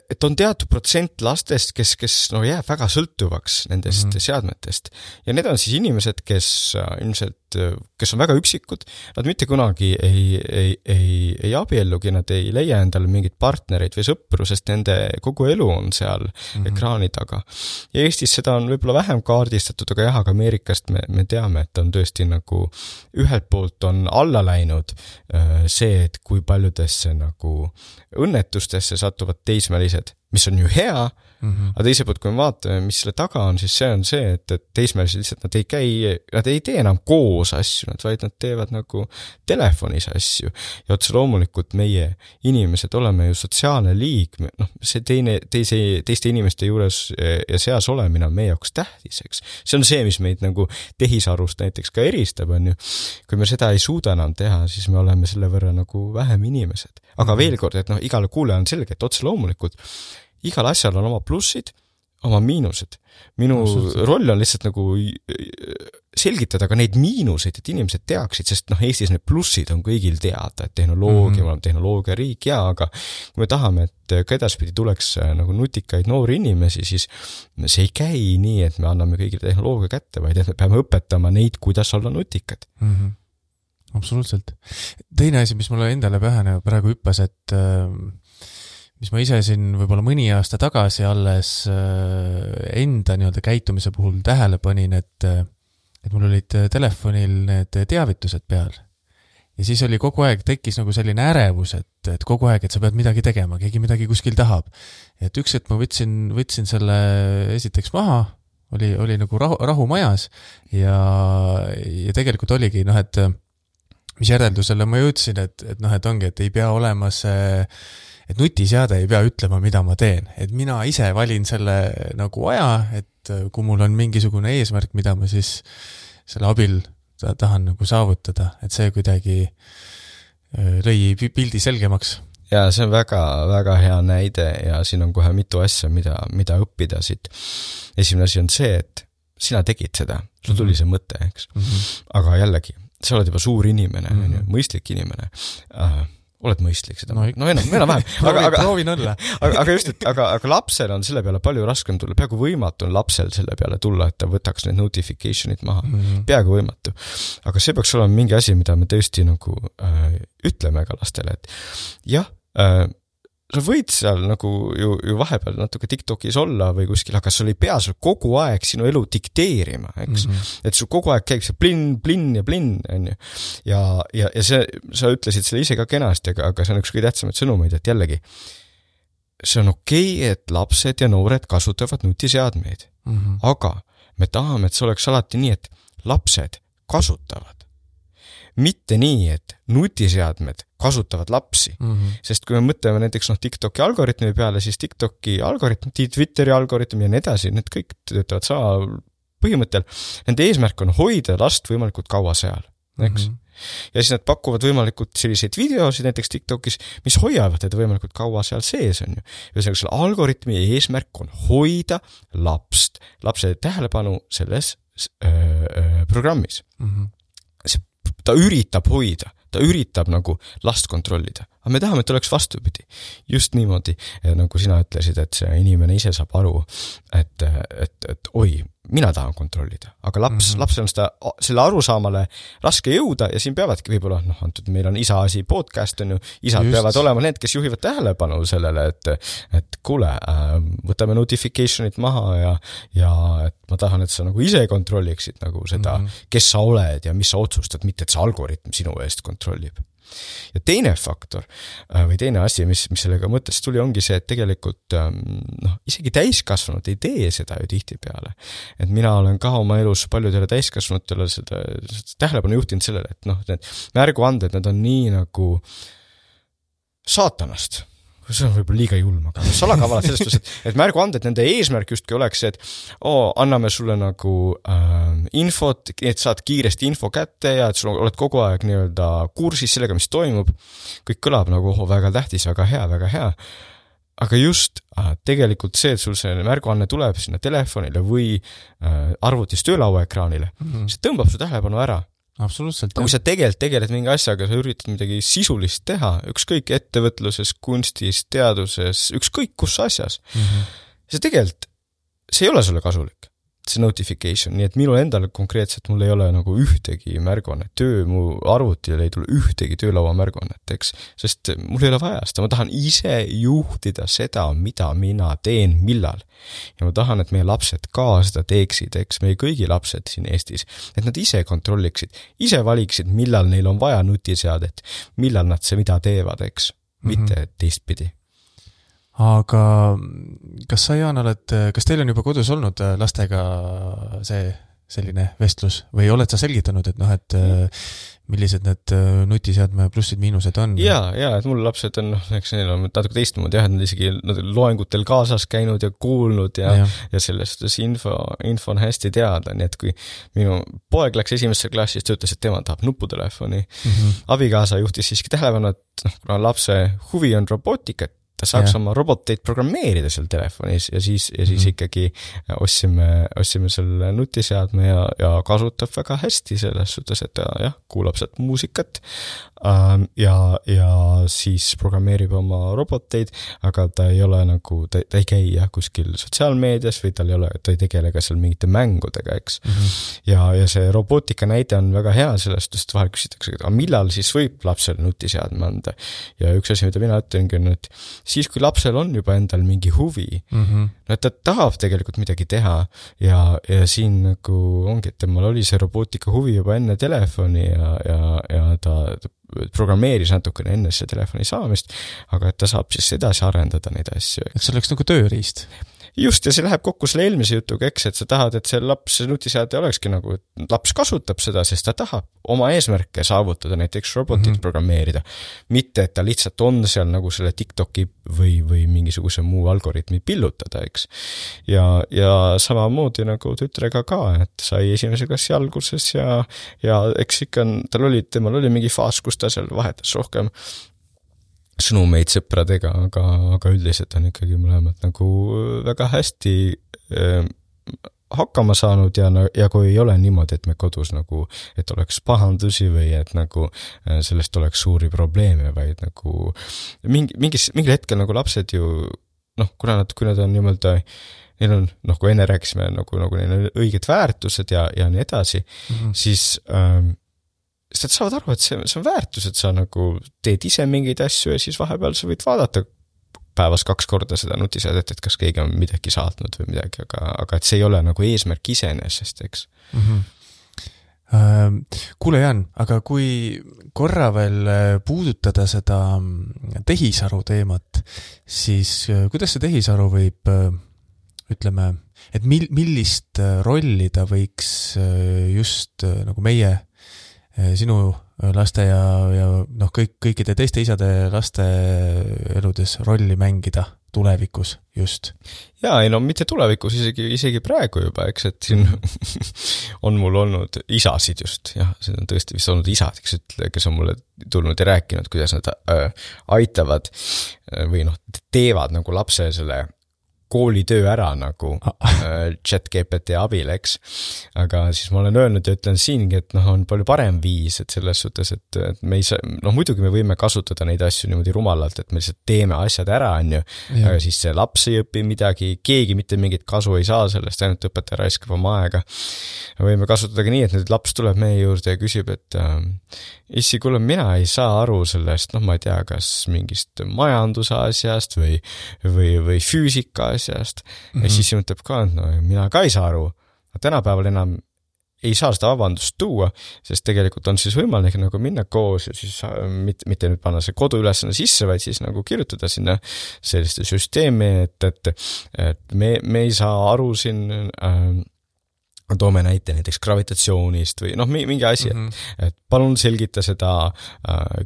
[SPEAKER 2] et on teatud protsent lastest, kes jääb väga sõltuvaks nendest seadmetest. Ja need on siis inimesed, kes ilmselt, kes on väga üksikud, nad mitte kunagi ei abiellugi, nad ei leia endale mingit partnereid või sõpru, sest nende kogu elu on seal ekraani taga. Ja Eestis seda on võib-olla vähem kaardistatud, aga jah, aga Ameerikast me teame, et on tõesti nagu ühelt poolt on alla läinud see, et kui paljudesse nagu õnnetustesse satuvad teismelised, mis on ju hea, aga teise poolt, kui me vaatame, mis selle taga on, siis see on see, et teismelised lihtsalt nad ei tee enam koos asju, vaid nad teevad nagu telefonis asju. Ja otse loomulikult meie inimesed oleme ju sotsiaalne liik, see teiste inimeste juures ja seas olemine on meie jaoks tähtis, eks. See on see, mis meid nagu tehisarust näiteks ka eristab, on ju. Kui me seda ei suuda enam teha, siis me oleme selle võrra nagu vähem inimesed. Aga veel kord, et igale kuule on selge, et otse loomulikult igal asjal on oma plussid, oma miinused. Minu roll on lihtsalt nagu selgitada ka neid miinuseid, et inimesed teaksid, sest Eestis need plussid on kõigil teada, et tehnoloogia, me oleme tehnoloogia riik, aga kui me tahame, et ka edaspidi tuleks nagu nutikaid noori inimesi, siis see ei käi nii, et me anname kõigile tehnoloogia kätte, vaid et me peame õpetama neid, kuidas olla nutikad.
[SPEAKER 1] Absoluutselt. Teine asi, mis mulle endale pähe praegu hüppas, et mis ma ise siin võib-olla mõni aasta tagasi alles enda nii-öelda käitumise puhul tähele panin, et mul olid telefonil need teavitused peal. Ja siis oli kogu aeg tekkis nagu selline ärevus, et kogu aeg, et sa pead midagi tegema, keegi midagi kuskil tahab. Et üks hetk ma võtsin selle esiteks maha, oli nagu rahu majas ja tegelikult oligi, et mis järeldusele ma jõudsin, et ongi, et ei pea olema see, et nutiseade ei pea ütlema, mida ma teen. Et mina ise valin selle nagu aja, et kui mul on mingisugune eesmärk, mida ma siis selle abil tahan nagu saavutada, et see kuidagi lõi pildi selgemaks.
[SPEAKER 2] Ja see on väga, väga hea näide ja siin on kohe mitu asja, mida õppida siit. Esimene asi on see, et sina tegid seda, sul tuli see mõte, eks. Aga jällegi, sa oled juba suur inimene, mõistlik inimene. Oled mõistlik seda? Enam-vähem.
[SPEAKER 1] Proovin olla.
[SPEAKER 2] Aga just, aga lapsel on selle peale palju raskem tulla. Peaaegu võimatu on lapsel selle peale tulla, et ta võtaks need notificationid maha. Peaaegu võimatu. Aga see peaks olema mingi asi, mida me tõesti nagu ütleme ka lastele, et jah, sa võid seal nagu ju vahepeal natuke TikTokis olla või kuskil, aga sul ei pea sul kogu aeg sinu elu dikteerima, eks. Et sul kogu aeg käib see plinn ja plinn, on ju. Ja see, sa ütlesid selle ise ka kenasti, aga see on üks kõige tähtsamaid sõnumeid, et jällegi, see on okei, et lapsed ja noored kasutavad nutiseadmeid. Aga me tahame, et see oleks alati nii, et lapsed kasutavad. Mitte nii, et nutiseadmed kasutavad lapsi. Sest kui me mõtleme näiteks TikToki algoritmi peale, siis TikToki algoritm, Twitteri algoritm ja nii edasi, need kõik töötavad sama põhimõttel. Nende eesmärk on hoida last võimalikult kaua seal, eks? Ja siis nad pakuvad võimalikult selliseid videosid näiteks TikTokis, mis hoiavad teda võimalikult kaua seal sees, on ju. Ja selle algoritmi eesmärk on hoida lapse tähelepanu selles programmis. Ta üritab hoida, ta üritab nagu last kontrollida. Aga me tahame, et oleks vastupidi. Just niimoodi, nagu sina ütlesid, et see inimene ise saab aru, et oi, mina tahan kontrollida. Aga lapsel on selle arusaamale raske jõuda ja siin peavadki võib-olla, antud meil on isa-asi podcast, on ju, isad peavad olema need, kes juhivad tähelepanu sellele, et kuule, võtame notificationit maha ja et ma tahan, et sa nagu ise kontrolliksid nagu seda, kes sa oled ja mis sa otsustad, mitte et see algoritm sinu eest kontrollib. Ja teine faktor või teine asi, mis sellega mõttes tuli, ongi see, et tegelikult isegi täiskasvanud ei tee seda ju tihti peale. Et mina olen ka oma elus paljudele täiskasvanutele seda tähelepanu juhtinud sellele, et need märguanded, need on nii nagu saatanast. See on võib-olla liiga julm, aga salakavalad sellest, et märguanded, nende eesmärk justki oleks, et anname sulle nagu infot, et saad kiiresti info kätte ja et sul oled kogu aeg nii-öelda kursis sellega, mis toimub. Kõik kõlab nagu väga tähtis, väga hea. Aga just tegelikult see, et sul see märguanne tuleb sinna telefonile või arvutis töölauaekraanile, see tõmbab su tähelepanu ära.
[SPEAKER 1] Absoluutselt.
[SPEAKER 2] Kui sa tegeled mingi asjaga, sa üritad midagi sisulist teha, ükskõik ettevõtluses, kunstis, teaduses, ükskõik kus asjas. See tegelikult, see ei ole sulle kasulik, see notification, nii et minul endal konkreetselt mul ei ole nagu ühtegi märguannet, mu arvutil ei tule ühtegi töölaua märguannet, eks, sest mul ei ole vaja seda, ma tahan ise juhtida seda, mida mina teen, millal. Ja ma tahan, et meie lapsed ka seda teeksid, eks, meie kõigi lapsed siin Eestis, et nad ise kontrolliksid, ise valiksid, millal neil on vaja nutiseadet, millal nad see mida teevad, eks, mitte teistpidi.
[SPEAKER 1] Aga kas sa, Jaan, kas teil on juba kodus olnud lastega selline vestlus või oled sa selgitanud, et millised need nutiseadme plussid miinused on?
[SPEAKER 2] Ja, et mul lapsed on, eks neil on natuke teistmoodi, et nad isegi loengutel kaasas käinud ja kuulnud ja sellest info on hästi teada, nii et kui minu poeg läks esimesse klassis, ta ütles, et tema tahab nuputelefoni. Abikaasa juhtis siiski tähelepanu, et kuna lapse huvi on robootikat, ta saaks oma roboteid programmeerida seal telefonis ja siis ikkagi ostsime selle nutiseadme ja kasutab väga hästi selles suhtes, et ta kuulab sealt muusikat ja siis programmeerib oma roboteid, aga ta ei ole nagu, ta ei käi kuskil sotsiaalmeedias või ta ei tegele ka seal mingite mängudega, eks. Ja see robootika näide on väga hea sellest, sest vahel küsitakse, aga millal siis võib lapsele nutiseadme anda? Ja üks asi, mida mina ütlengi on, et siis, kui lapsel on juba endal mingi huvi, et ta tahab tegelikult midagi teha ja siin nagu ongi, et temal oli see robootika huvi juba enne telefoni ja ta programmeeris natukene enne see telefoni saamist, aga et ta saab siis edasi arendada neid asju.
[SPEAKER 1] Et see oleks nagu tööriist.
[SPEAKER 2] Just, ja see läheb kokku selle eelmise jutuga, eks, et sa tahad, et see laps nutiseade olekski nagu, et laps kasutab seda, sest ta tahab oma eesmärke saavutada, näiteks robotit programmeerida. Mitte, et ta lihtsalt on seal nagu selle TikToki või mingisuguse muu algoritmi pillutada, eks. Ja samamoodi nagu tütrega ka, et sai esimese klassi alguses ja eks ikka temal oli mingi faas, kus ta seal vahetas rohkem sõnumeid sõpradega, aga üldiselt on ikkagi mõlemad nagu väga hästi hakkama saanud ja kui ei ole niimoodi, et me kodus nagu, et oleks pahandusi või et nagu sellest oleks suuri probleeme, vaid nagu mingil hetkel nagu lapsed ju, kui nad on niimoodi, neil on, kui enne rääkisime, nagu neil on õiged väärtused ja nii edasi, siis sest et saavad aru, et see on väärtus, et sa nagu teed ise mingeid asju ja siis vahepeal sa võid vaadata päevas 2 korda seda nutiseadet, et kas keegi on midagi saatnud või midagi, aga et see ei ole nagu eesmärk iseenesest, eks.
[SPEAKER 1] Kuule Jaan, aga kui korra veel puudutada seda tehisaru teemat, siis kuidas see tehisaru võib, ütleme, et millist rolli ta võiks just nagu meie, sinu laste ja noh, kõikide teiste isade laste eludes rolli mängida tulevikus just?
[SPEAKER 2] Jaa, ei no mitte tulevikus, isegi praegu juba, eks, et siin on mul olnud isasid just, jah, see on tõesti vist olnud isad, kes on mulle tulnud ja rääkinud, kuidas nad aitavad või noh, teevad nagu lapse selle koolitöö ära nagu ChatGPT abil, eks. Aga siis ma olen öelnud ja ütlen siingi, et noh, on palju parem viis, et selles suhtes, et me ei saa, noh muidugi me võime kasutada neid asju niimoodi rumalalt, et me lihtsalt teeme asjad ära, on ju, aga siis see laps ei õpi midagi, keegi mitte mingit kasu ei saa sellest, ainult õpetaja raiskab oma aega. Võime kasutada ka nii, et nüüd laps tuleb meie juurde ja küsib, et issi, kuule, mina ei saa aru sellest, noh ma ei tea, kas mingist majanduse asjast või füüsika asjast. Ja siis mõtleb ka, et no mina ka ei saa aru. Tänapäeval enam ei saa seda vabandust tuua, sest tegelikult on siis võimalik nagu minna koos ja siis mitte nüüd panna see koduülesanne sisse, vaid siis nagu kirjutada sinna selliste süsteemi, et me ei saa aru siin toome näite näiteks gravitatsioonist või noh, mingi asi, et palun selgita seda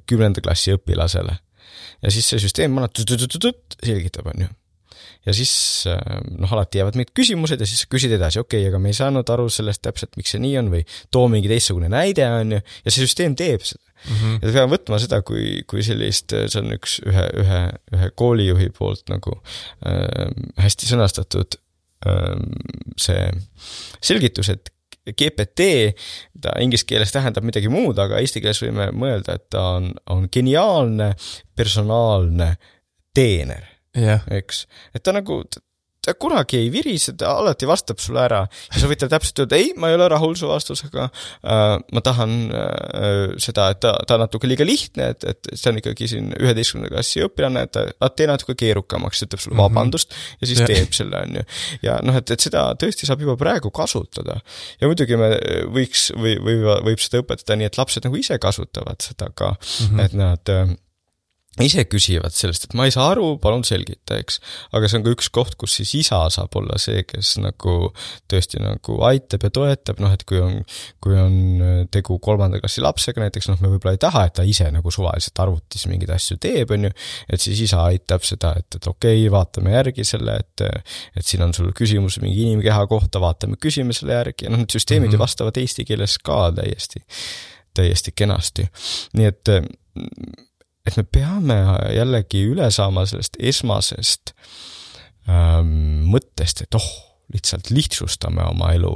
[SPEAKER 2] 10. klassi õpilasele. Ja siis see süsteem selgitab, on ju. Ja siis noh, alati jäävad mingid küsimused ja siis küsid edasi, okei, aga me ei saanud aru sellest täpselt, miks see nii on või too mingi teistsugune näide, on ju, ja see süsteem teeb seda. Ja peame võtma seda, kui sellist, see on ühe koolijuhi poolt nagu hästi sõnastatud see selgitus, et GPT, ta inglise keeles tähendab midagi muud, aga eesti keeles võime mõelda, et ta on geniaalne personaalne teener, eks. Et ta nagu, ta kunagi ei virise, ta alati vastab sulle ära ja sa võid talle täpselt öelda, ei, ma ei ole rahul su vastusega, ma tahan seda, et ta natuke liiga lihtne, et see on ikkagi siin 11. klassi õpilane, et ta tee natuke keerukamaks, ütleb sulle vabandust ja siis teeb selle, on ju. Ja noh, et seda tõesti saab juba praegu kasutada ja muidugi me võib seda õpetada nii, et lapsed nagu ise kasutavad seda ka, et nad ise küsivad sellest, et ma ei saa aru, palun selgita, eks. Aga see on ka üks koht, kus siis isa saab olla see, kes nagu tõesti nagu aitab ja toetab, noh, et kui on tegu 3. klassi lapsega näiteks, noh, me võib-olla ei taha, et ta ise nagu suvaliselt arvutis mingeid asju teeb, on ju, et siis isa aitab seda, et okei, vaatame järgi selle, et siin on sul küsimus mingi inimkeha kohta, vaatame, küsime selle järgi, ja noh, need süsteemid ju vastavad eesti keeles ka täiesti kenasti. Nii et me peame jällegi üle saama sellest esmasest mõttest, et lihtsalt lihtsustame oma elu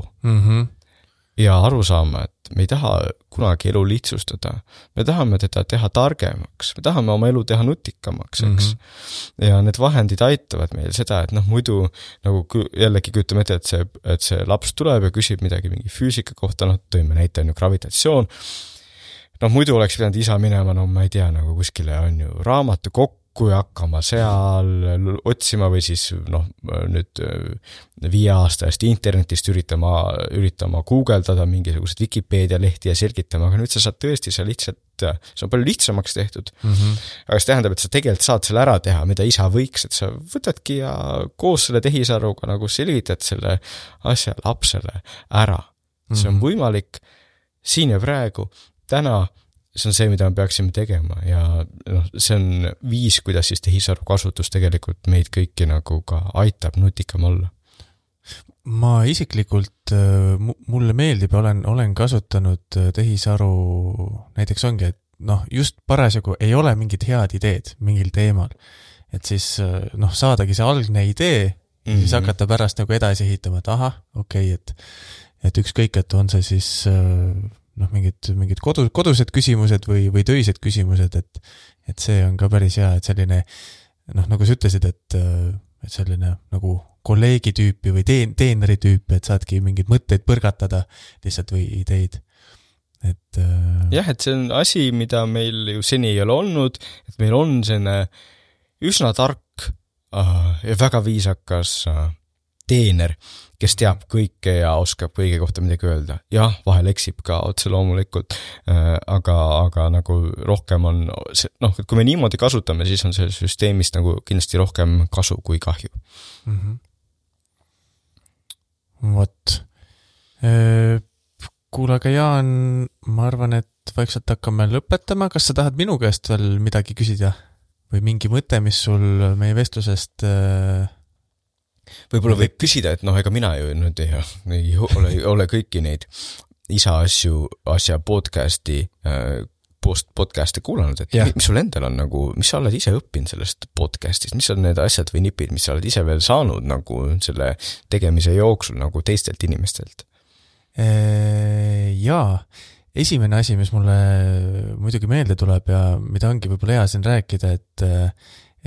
[SPEAKER 2] ja aru saama, et me ei taha kunagi elu lihtsustada. Me tahame teda teha targemaks, me tahame oma elu teha nutikamaks, eks. Ja need vahendid aitavad meil seda, et noh, muidu nagu jällegi kujutame ette, et see laps tuleb ja küsib midagi mingi füüsika kohta, noh, tõime näite on ju gravitatsioon. Noh, muidu oleks pidanud isa minema, no ma ei tea, nagu kuskile on ju raamatu kokku ja hakkama seal otsima või siis noh, nüüd 5 aasta eest internetist üritama guugeldada mingisugused Wikipedia lehti ja selgitama, aga nüüd sa saad tõesti see on palju lihtsamaks tehtud. Aga see tähendab, et sa tegelikult saad selle ära teha, mida isa võiks, et sa võtadki ja koos selle tehisaruga nagu selgitad selle asja lapsele ära. See on võimalik siin ja praegu. Täna see on see, mida me peaksime tegema ja noh, see on viis, kuidas siis tehisaru kasutus tegelikult meid kõiki nagu ka aitab nutikam olla.
[SPEAKER 1] Ma isiklikult, mulle meeldib, olen kasutanud tehisaru, näiteks ongi, et noh, just parasjagu ei ole mingid head ideed mingil teemal, et siis noh, saadagi see algne idee ja siis hakata pärast nagu edasi ehitama, et aha, okei, et ükskõik, et on see siis noh, mingid kodused küsimused või töised küsimused, et see on ka päris hea, et selline, noh, nagu sa ütlesid, et selline nagu kolleegi tüüpi või teeneri tüüpi, et saadki mingeid mõtteid põrgatada lihtsalt või ideid.
[SPEAKER 2] Jah, et see on asi, mida meil ju seni ei ole olnud, et meil on selline üsna tark ja väga viisakas teener, kes teab kõike ja oskab kõige kohta midagi öelda. Jah, vahel eksib ka otse loomulikult, aga nagu rohkem on, noh, kui me niimoodi kasutame, siis on see süsteemist nagu kindlasti rohkem kasu kui kahju.
[SPEAKER 1] Vot. Kuule, aga Jaan, ma arvan, et vaikselt hakkame lõpetama. Kas sa tahad minu käest veel midagi küsida? Või mingi mõte, mis sul meie vestlusest...
[SPEAKER 2] Võib-olla võib küsida, et noh, ega mina ju nüüd ei ole kõiki neid asja podcasti kuulanud, et mis sul endal on nagu, mis sa oled ise õppinud sellest podcastist, mis on need asjad või nipid, mis sa oled ise veel saanud nagu selle tegemise jooksul nagu teistelt inimestelt?
[SPEAKER 1] Jaa, esimene asi, mis mulle muidugi meelde tuleb ja mida ongi võib-olla hea siin rääkida,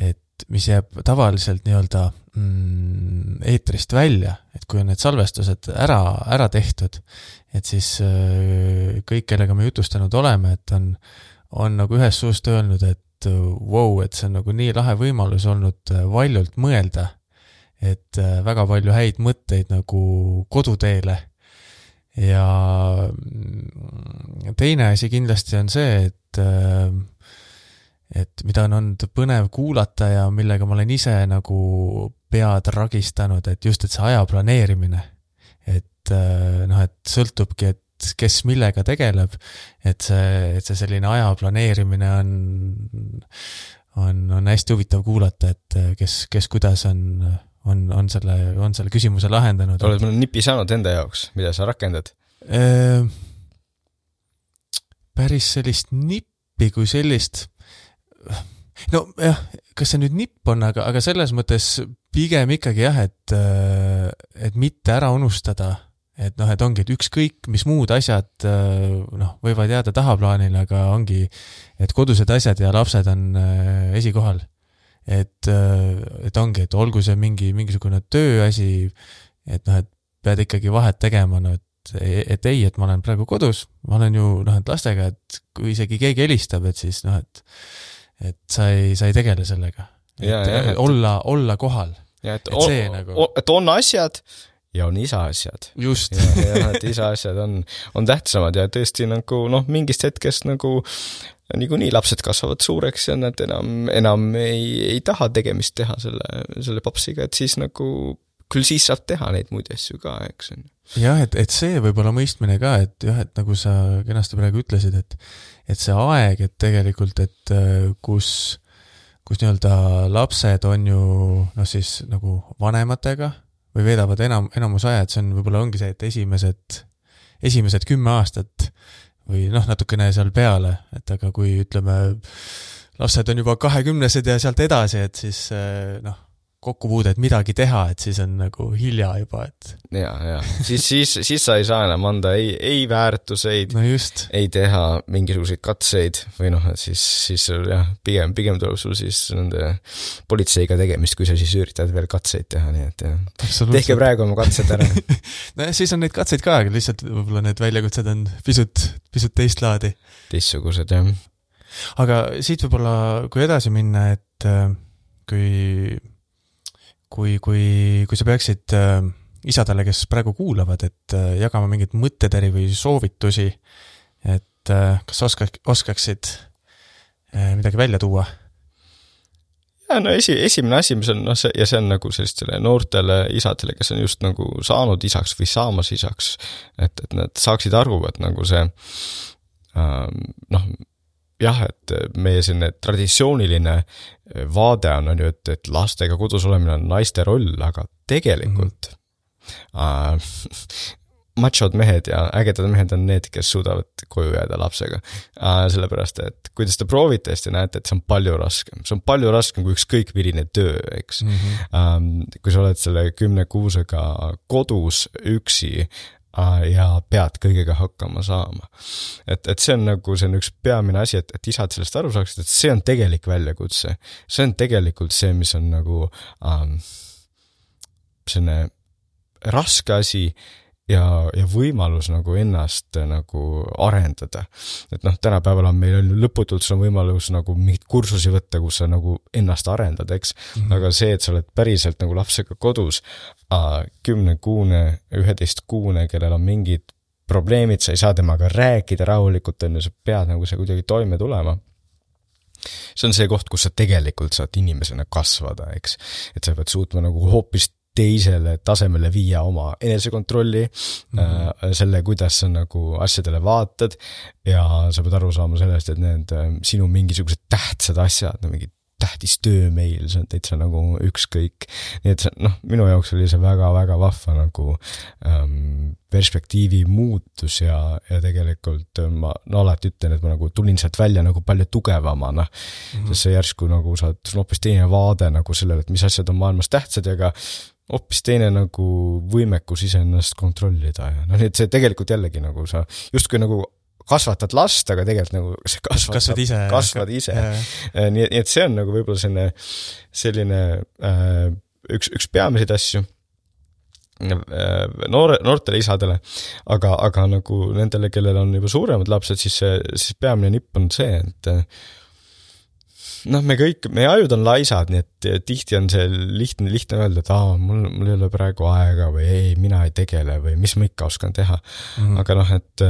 [SPEAKER 1] et mis jääb tavaliselt nii-öelda eetrist välja, et kui on need salvestused ära tehtud, et siis kõik, kellega me jutustanud oleme, et on nagu ühes suust öelnud, et wow, et see on nagu nii lahe võimalus olnud valjult mõelda, et väga palju häid mõtteid nagu koduteele. Ja teine asi kindlasti on see, et mida on olnud põnev kuulata ja millega ma olen ise nagu pead ragistanud, et just, et see aja planeerimine, et sõltubki, et kes millega tegeleb, et see selline aja planeerimine on hästi huvitav kuulata, et kes kuidas on selle küsimuse lahendanud.
[SPEAKER 2] Oled mõne nipi saanud enda jaoks, mida sa rakendad?
[SPEAKER 1] Päris sellist nippi kui sellist... No jah, kas see nüüd nipp on, aga selles mõttes pigem ikkagi jah, et mitte ära unustada, et noh, et ongi, et ükskõik, mis muud asjad võivad jääda tahaplaanile, aga ongi, et kodused asjad ja lapsed on esikohal. Et ongi, et olgu see mingisugune tööasi, et noh, et pead ikkagi vahet tegema, et ei, et ma olen praegu kodus, ma olen ju et lastega, et kui isegi keegi helistab, et siis et sa ei tegele sellega. Et olla kohal.
[SPEAKER 2] Ja, et on asjad ja on isa asjad.
[SPEAKER 1] Just.
[SPEAKER 2] Ja, et isa asjad on tähtsamad ja tõesti nagu, mingist hetkest nagu nii lapsed kasvavad suureks ja nad enam ei taha tegemist teha selle papsiga, et siis nagu küll siis saab teha neid muid asju ka, eks on.
[SPEAKER 1] Jah, et see võib olla mõistmine ka, et nagu sa kenasti praegu ütlesid, et see aeg, et tegelikult, et kus nii-öelda lapsed on ju siis nagu vanematega või veedavad enamus aja, et see on võib-olla ongi see, et esimesed 10 aastat või natukene seal peale, et aga kui ütleme, lapsed on juba 20-sed ja sealt edasi, et siis kokkupuude, et midagi teha, et siis on nagu hilja juba, et...
[SPEAKER 2] Ja. Siis sa ei saa enam anda ei väärtuseid, ei teha mingisuguseid katseid või siis jah, pigem tuleb sul siis nende politseiga tegemist, kui sa siis üritad veel katseid teha, nii et tehke praegu oma katsed ära.
[SPEAKER 1] No siis on neid katseid ka, aga lihtsalt võib-olla need väljakutsed on pisut teist laadi.
[SPEAKER 2] Teistsugused, jah.
[SPEAKER 1] Aga siit võib-olla, kui edasi minna, et kui sa peaksid isadele, kes praegu kuulavad, et jagama mingit mõtteteri või soovitusi, et kas oskaksid midagi välja tuua?
[SPEAKER 2] Ja, esimene asi, mis on, ja see on nagu sellistele noortele isadele, kes on just nagu saanud isaks või saamas isaks, et nad saaksid aru, et nagu see jah, et meie selline traditsiooniline vaade on ju, et lastega kodus olemine on naiste roll, aga tegelikult machod mehed ja ägedad mehed on need, kes suudavad koju jääda lapsega. Sellepärast, et kui te seda proovite, siis te näete, et see on palju raskem. See on palju raskem kui ükskõik milline töö, eks. Kui sa oled selle 10 kuusega kodus üksi, ja pead kõigega hakkama saama. Et see on nagu see on üks peamine asi, et isad sellest aru saaksid, et see on tegelik väljakutse. See on tegelikult see, mis on nagu selline raske asi ja võimalus nagu ennast nagu arendada. Et noh, tänapäeval on meil lõputult sul on võimalus nagu mingit kursusi võtta, kus sa nagu ennast arendad, eks. Aga see, et sa oled päriselt nagu lapsega kodus, 10-kuune, 11-kuune, kellel on mingid probleemid, sa ei saa temaga rääkida rahulikult, sa pead nagu see kuidagi toime tulema. See on see koht, kus sa tegelikult saad inimesena kasvada, eks. Et sa pead suutma nagu hoopis teisele tasemele viia oma enesekontrolli, selle, kuidas sa nagu asjadele vaatad ja sa pead aru saama sellest, et need sinu mingisugused tähtsad asjad, mingid tähtis töömeil, see on täitsa nagu ükskõik. Nii et minu jaoks oli see väga-väga vahva nagu perspektiivi muutus ja tegelikult ma alati ütlen, et ma nagu tulin sealt välja nagu palju tugevamana, sest see järsku nagu saad hoopis teine vaade nagu sellele, et mis asjad on maailmas tähtsad ja ka hoopis teine nagu võimekus iseennast kontrollida ja nii et see tegelikult jällegi nagu sa justkui nagu kasvatad last, aga tegelikult nagu see kasvad ise. Nii et see on nagu võib-olla selline üks peamiseid asju noortele isadele, aga nagu nendele, kellel on juba suuremad lapsed, siis peamine nipp on see, et meie ajud on laisad, nii et tihti on see lihtne öelda, et mul ei ole praegu aega või ei, mina ei tegele või mis ma ikka oskan teha. Aga et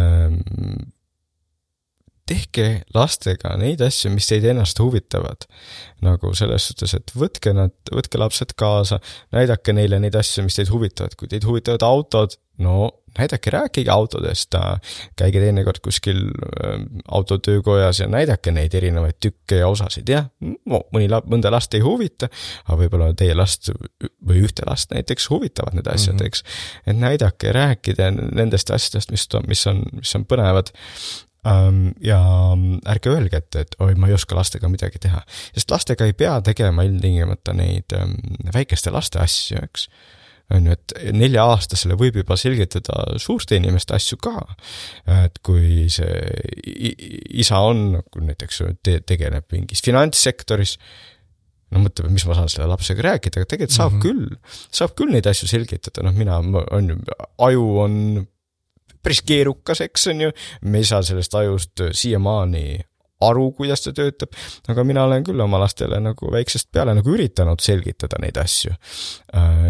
[SPEAKER 2] tehke lastega neid asju, mis teid ennast huvitavad. Nagu selles suhtes, et võtke lapsed kaasa, näidake neile neid asju, mis teid huvitavad. Kui teid huvitavad autod, näidake, rääkige autodest, käige teinekord kuskil autotöökojas ja näidake neid erinevaid tükke ja osasid. Jah, mõnda last ei huvita, aga võib-olla teie last või ühte last näiteks huvitavad need asjad, eks. Et näidake, rääkida nendest asjadest, mis on põnevad. Ja ärge öelge, et oi, ma ei oska lastega midagi teha. Sest lastega ei pea tegema ilmtingimata neid väikeste laste asju, eks. On ju, et 4-aastasele võib juba selgitada suurte inimeste asju ka. Et kui see isa on, kui näiteks tegeleb mingis finantssektoris, mõtleb, mis ma saan selle lapsega rääkida, aga tegelikult saab küll neid asju selgitada. Aju on päris keerukas, eks on ju, me ei saa sellest ajust siiamaani aru, kuidas ta töötab, aga mina olen küll oma lastele nagu väiksest peale nagu üritanud selgitada neid asju.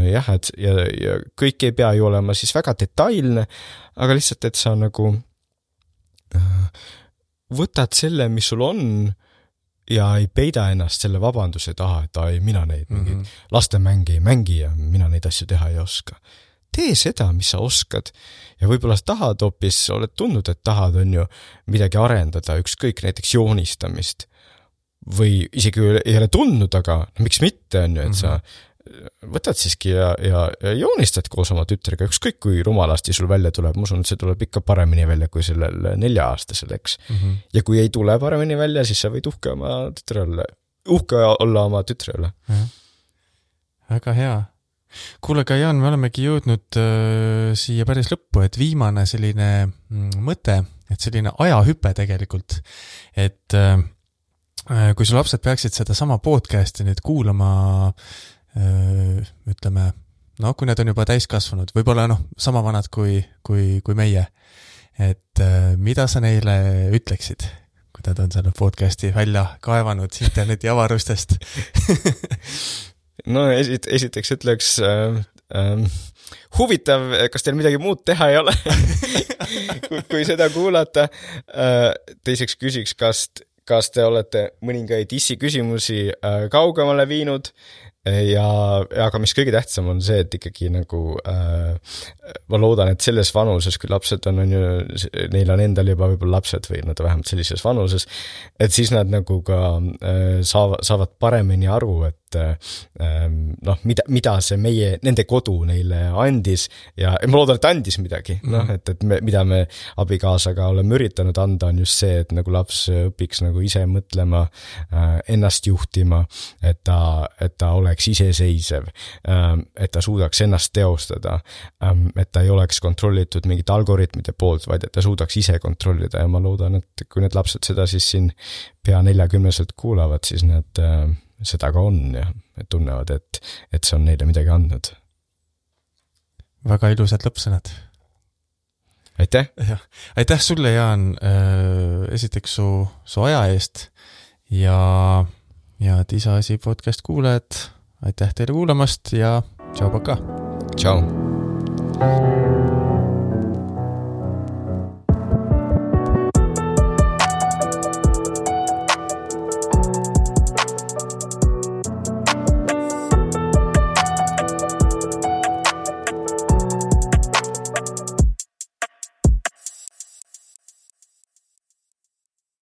[SPEAKER 2] Jah, ja kõik ei pea ju olema siis väga detailne, aga lihtsalt, et sa nagu võtad selle, mis sul on ja ei peida ennast selle vabanduse taha, et mina neid mingid lastemänge ei mängi ja mina neid asju teha ei oska. Tee seda, mis sa oskad ja võib-olla tahad hoopis, oled tundnud, et tahad on ju midagi arendada, ükskõik näiteks joonistamist või isegi ei ole tundnud, aga miks mitte on ju, et sa võtad siiski ja joonistad koos oma tütrega, ükskõik kui rumalasti sul välja tuleb, ma usun, et see tuleb ikka paremini välja kui sellel 4-aastasel, eks. Ja kui ei tule paremini välja, siis sa võid uhke olla oma tütre üle.
[SPEAKER 1] Väga hea. Kuule, ka Jaan, me olemegi jõudnud siia päris lõppu, et viimane selline mõte, et selline ajahüpe tegelikult, et kui su lapsed peaksid seda sama podcasti nüüd kuulama, ütleme, kui need on juba täiskasvanud, võib-olla sama vanad kui meie, et mida sa neile ütleksid, kui nad on selle podcasti välja kaevanud interneti avarustest?
[SPEAKER 2] Esiteks ütleks huvitav, kas teil midagi muud teha ei ole, kui seda kuulata. Teiseks küsiks, kas te olete mõningaid küsimusi kaugemale viinud aga mis kõige tähtsam on see, et ikkagi nagu ma loodan, et selles vanuses, kui lapsed on ju, neil on endal juba võib-olla lapsed või nad vähemalt sellises vanuses, et siis nad nagu ka saavad paremini aru, et mida see nende kodu neile andis ja ma loodan, et andis midagi, mida me abikaasaga oleme üritanud anda, on just see, et nagu laps õpiks nagu ise mõtlema, ennast juhtima, et ta oleks iseseisev, et ta suudaks ennast teostada, et ta ei oleks kontrollitud mingite algoritmide poolt, vaid et ta suudaks ise kontrollida ja ma loodan, et kui need lapsed seda siis siin pea 40-selt kuulavad, siis nad seda ka on ja tunnevad, et see on neile midagi andnud.
[SPEAKER 1] Väga ilusad lõppsõnad.
[SPEAKER 2] aitäh!
[SPEAKER 1] Aitäh sulle, Jaan, esiteks su aja eest ja Isa asi podcast kuulajad, aitäh teile kuulamast ja tšau, paka!
[SPEAKER 2] Tšau!